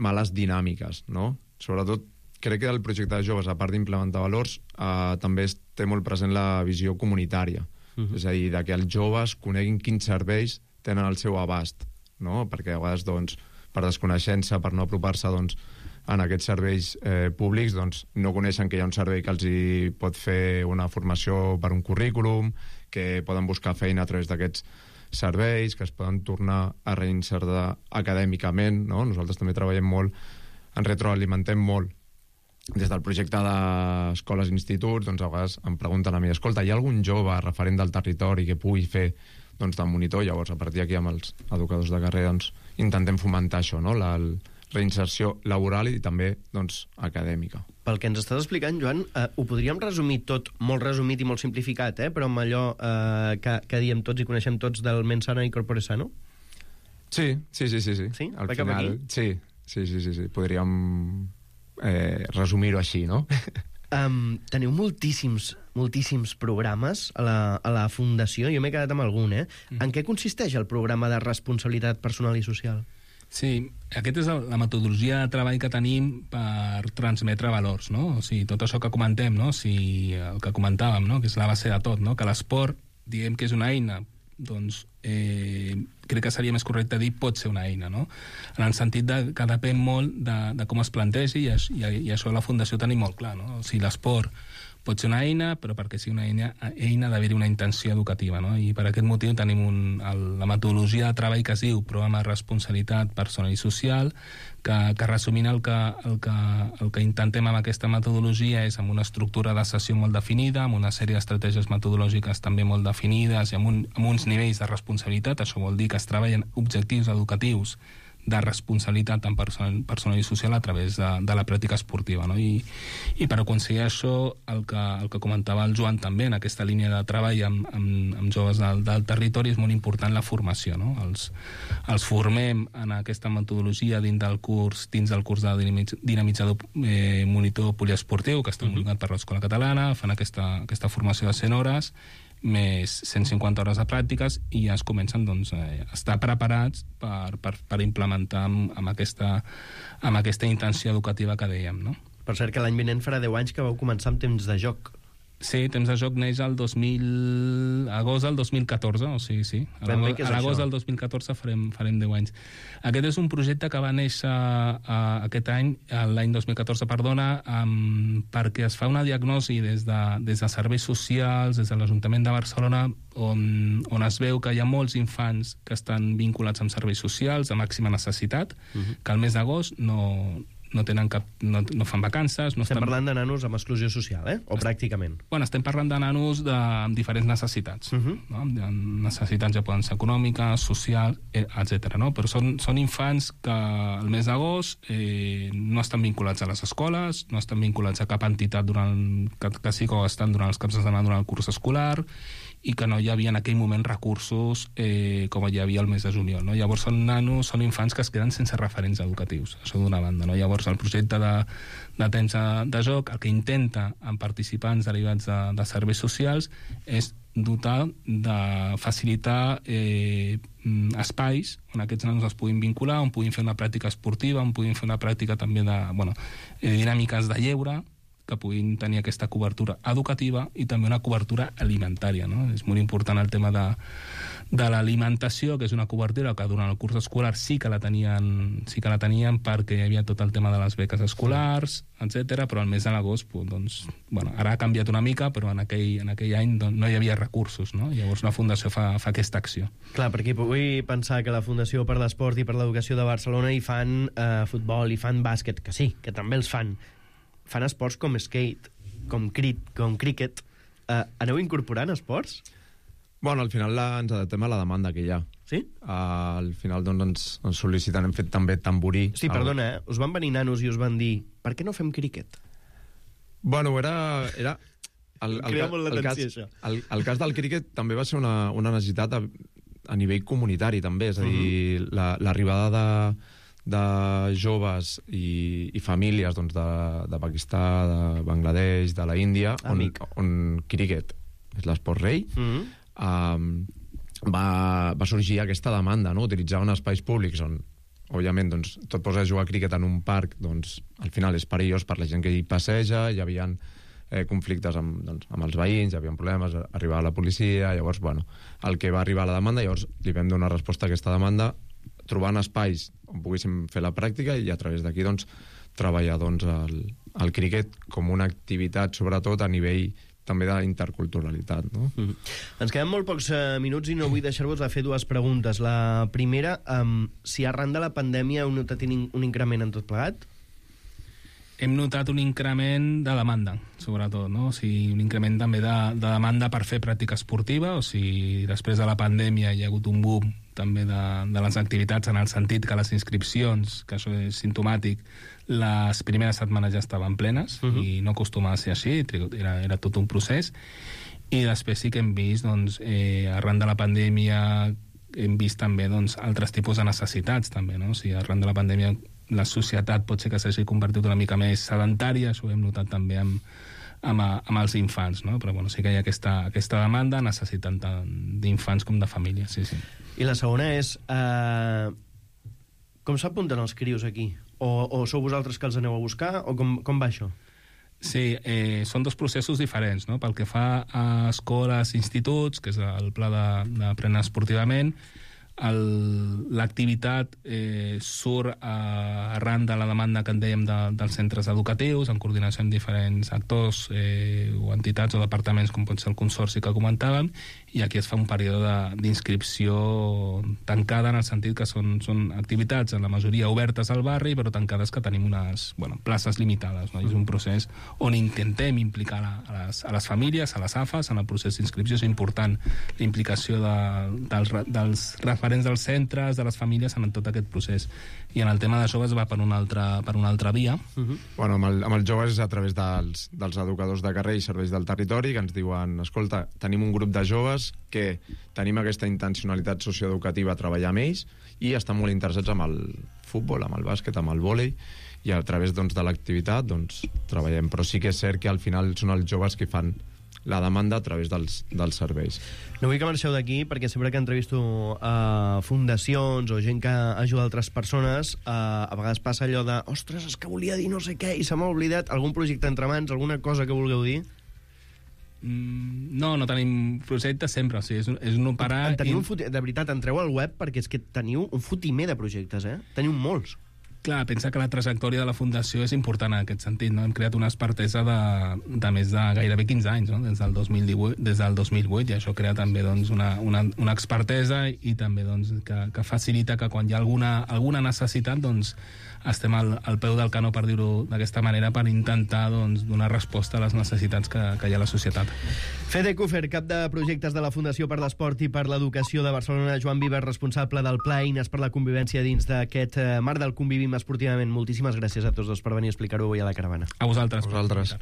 males dinàmiques, no? Sobretot, crec que el projecte de joves, a part d'implementar valors, eh, també té molt present la visió comunitària. Uh-huh. És a dir, de que els joves coneguin quins serveis tenen al seu abast, no? Perquè a vegades, doncs, per desconeixença, per no apropar-se doncs, en aquests serveis eh, públics, doncs, no coneixen que hi ha un servei que els hi pot fer una formació per un currículum, que poden buscar feina a través d'aquests serveis, que es poden tornar a reinsertar acadèmicament, no? Nosaltres també treballem molt, ens retroalimentem molt des del projecte d'escoles i instituts, doncs a vegades em pregunten a mi, escolta, hi ha algun jove referent del territori que pugui fer doncs, de monitor? Llavors, a partir d'aquí amb els educadors de carrera doncs, intentem fomentar això, no? La reinserció laboral i també doncs, acadèmica. Pel que ens estàs explicant, Joan, eh, ho podríem resumir tot, molt resumit i molt simplificat, eh? Però amb allò eh, que, que diem tots i coneixem tots del mens sana i corpore sano? Sí, sí, sí. Sí? sí? sí? Al final, sí, sí, sí, sí, sí. Podríem Eh, resumir-ho així, no? Um, teniu moltíssims, moltíssims programes a la, a la Fundació. Jo m'he quedat amb algun, eh? Mm. En què consisteix el programa de responsabilitat personal i social? Sí, aquesta és la metodologia de treball que tenim per transmetre valors, no? O sigui, tot això que comentem, no? O sigui, el que comentàvem, no? Que és la base de tot, no? Que l'esport, diguem que és una eina, doncs eh, crec que seria més correcte dir pot ser una eina, no? En el sentit de, que depèn molt de, de com es plantegi i, i, i això a la Fundació tenim molt clar, no? O sigui, l'esport pot ser una eina, però perquè sigui una eina, eina d'haver-hi una intenció educativa, no? I per aquest motiu tenim un, el, la metodologia de treball que es diu Programa de Responsabilitat Personal i Social, que, que resumint el que, el, que, el que intentem amb aquesta metodologia és amb una estructura de sessió molt definida, amb una sèrie d'estratègies metodològiques també molt definides i amb, un, amb uns nivells de responsabilitat. Això vol dir que es treballen objectius educatius de responsabilitat tant personal, personal i social a través de, de la pràctica esportiva, no? I, i per aconseguir això, el que, el que comentava el Joan també, en aquesta línia de treball amb, amb, amb joves del, del territori, és molt important la formació, no? Els, els formem en aquesta metodologia dins del curs, dins del curs de dinamitzador eh, monitor poliesportiu, que està homologat per l'Escola Catalana, fan aquesta, aquesta formació de cent hores, més cent cinquanta hores de pràctiques i ja es comencen doncs, a estar preparats per, per, per implementar amb, amb, aquesta, amb aquesta intenció educativa que dèiem, no? Per cert, que l'any vinent farà deu anys que vau començar amb temps de joc. Sí, temps de joc neix el dos mil... agost del dos mil catorze, o sigui, sí. A l'agost del dos mil catorze farem, farem deu anys. Aquest és un projecte que va néixer uh, aquest any, l'any dos mil catorze, perdona, um, perquè es fa una diagnosi des de, des de serveis socials, des de l'Ajuntament de Barcelona, on, on es veu que hi ha molts infants que estan vinculats amb serveis socials de màxima necessitat, uh-huh. que al mes d'agost no, no tenen cap, no, no fan vacances... No estem estan... parlant de nanos amb exclusió social, eh? O pràcticament? Bueno, estem parlant de nanos de, amb diferents necessitats. Uh -huh. No? Necessitats ja poden ser econòmiques, socials, etcètera. No? Però són, són infants que al mes d'agost eh, no estan vinculats a les escoles, no estan vinculats a cap entitat durant, que, que sí que estan durant els caps de setmana durant el curs escolar, i que no hi havia en aquell moment recursos eh, com hi havia el mes de juliol. No? Llavors són nanos, són infants que es queden sense referents educatius, això d'una banda. No? Llavors el projecte de, de temps de, de joc el que intenta amb participants derivats de, de serveis socials és dotar de facilitar eh, espais on aquests nanos es puguin vincular, on puguin fer una pràctica esportiva, on puguin fer una pràctica també de, bueno, de dinàmiques de lleure, que puguin tenir aquesta cobertura educativa i també una cobertura alimentària. No? És molt important el tema de, de l'alimentació, que és una cobertura que durant el curs escolar sí que la tenien, sí que la tenien perquè hi havia tot el tema de les beques escolars, etcètera, però al mes de l'agost, doncs, bueno, ara ha canviat una mica, però en aquell, en aquell any doncs, no hi havia recursos. No? Llavors la Fundació fa, fa aquesta acció. Clar, perquè vull pensar que la Fundació per l'Esport i per l'Educació de Barcelona hi fan eh, futbol, hi fan bàsquet, que sí, que també els fan. Fan esports com skate, com, crit, com cricket. Uh, aneu incorporant esports? Bueno, al final la, ens adaptem a la demanda que hi ha. Sí? Uh, al final doncs, ens, ens sol·liciten, hem fet també tamborí. Sí, perdona, eh? Us van venir nanos i us van dir per què no fem cricket? Bueno, era... era el, el, Crea molt el, l'atenció, cas, això. El, el cas del cricket també va ser una, una necessitat a, a nivell comunitari, també. És a dir, uh-huh. la, l'arribada de... de joves i, i famílies doncs, de, de Pakistà, de Bangladesh, de la Índia, on, on cricket és l'esport rei, mm-hmm. um, va, va sorgir aquesta demanda, no? Utilitzar uns espais públics on, òbviament, doncs, tot posa a jugar a cricket en un parc, doncs, al final és perillós per la gent que hi passeja, hi havia eh, conflictes amb, doncs, amb els veïns, hi havia problemes, arribava la policia, llavors, bueno, el que va arribar a la demanda, llavors li vam donar resposta a aquesta demanda, trobant espais on poguéssim fer la pràctica i a través d'aquí doncs, treballar doncs, el, el cricket com una activitat, sobretot a nivell també d'interculturalitat. No? Mm-hmm. Ens queden molt pocs eh, minuts i no vull deixar-vos de fer dues preguntes. La primera, um, si arran de la pandèmia heu notat un, un increment en tot plegat? Hem notat un increment de demanda, sobretot, no? O sigui, un increment també de, de demanda per fer pràctica esportiva, o sigui, després de la pandèmia hi ha hagut un boom també de, de les activitats, en el sentit que les inscripcions, que això és simptomàtic, les primeres setmanes ja estaven plenes, uh-huh. i no acostuma a ser així, era, era tot un procés, i després sí que hem vist, doncs, eh, arran de la pandèmia, hem vist també doncs, altres tipus de necessitats, també, no? O sigui, arran de la pandèmia la societat pot ser que s'hagi convertit una mica més sedentària, això ho hem notat també amb, amb, amb els infants, no? Però bueno, sí que hi ha aquesta, aquesta demanda, necessitant tant d'infants com de famílies, sí, sí. I la segona és, eh, com s'apunten els crios aquí? O, o sou vosaltres que els aneu a buscar? O com, com va això? Sí, eh, són dos processos diferents, no? Pel que fa a escoles i instituts, que és el pla d'aprendre esportivament, l'activitat eh, surt a, arran de la demanda que en dèiem de, dels centres educatius, en coordinació amb diferents actors eh, o entitats o departaments, com pot ser el consorci que comentàvem, i aquí es fa un període d'inscripció tancada, en el sentit que són, són activitats en la majoria obertes al barri, però tancades que tenim unes bueno, places limitades, no? I és un procés on intentem implicar a les, a les famílies, a les A F As, en el procés d'inscripció. És important la implicació de, dels, dels referents dels centres, de les famílies, en tot aquest procés. I en el tema de joves va per una altra, per una altra via. Uh-huh. Bueno, amb, el, amb els joves és a través dels, dels educadors de carrer i serveis del territori, que ens diuen, escolta, tenim un grup de joves que tenim aquesta intencionalitat socioeducativa a treballar amb ells i estan molt interessats amb el futbol, amb el bàsquet, amb el vòlei, i a través doncs, de l'activitat doncs, treballem. Però sí que és cert que al final són els joves que fan la demanda a través dels, dels serveis. No vull que marxeu d'aquí, perquè sempre que entrevisto uh, fundacions o gent que ajuda altres persones, uh, a vegades passa allò de ostres, és que volia dir no sé què i se m'ha oblidat. Algun projecte entre mans, alguna cosa que vulgueu dir? Mm, no, no tenim projectes sempre, o sigui, és, és no parar... Teniu i... un fut... De veritat, entreu al web perquè és que teniu un fotimer de projectes, eh? Teniu molts. Clar, pensa que la trajectòria de la Fundació és important en aquest sentit, no? Hem creat una expertesa de, de més de gairebé quinze anys, no? Des del dos mil divuit, des del dos mil vuit, i això crea també doncs, una, una, una expertesa i també doncs, que, que facilita que quan hi ha alguna, alguna necessitat doncs, estem al, al peu del canó, per dir-ho d'aquesta manera, per intentar doncs, donar resposta a les necessitats que, que hi ha a la societat. Fede Kufer, cap de projectes de la Fundació per l'Esport i per l'Educació de Barcelona, Joan Vives, responsable del Pla Eines per la Convivència dins d'aquest marc del Convivim Esportivament. Moltíssimes gràcies a tots dos per venir a explicar-ho avui a la Caravana. A vosaltres. A vosaltres.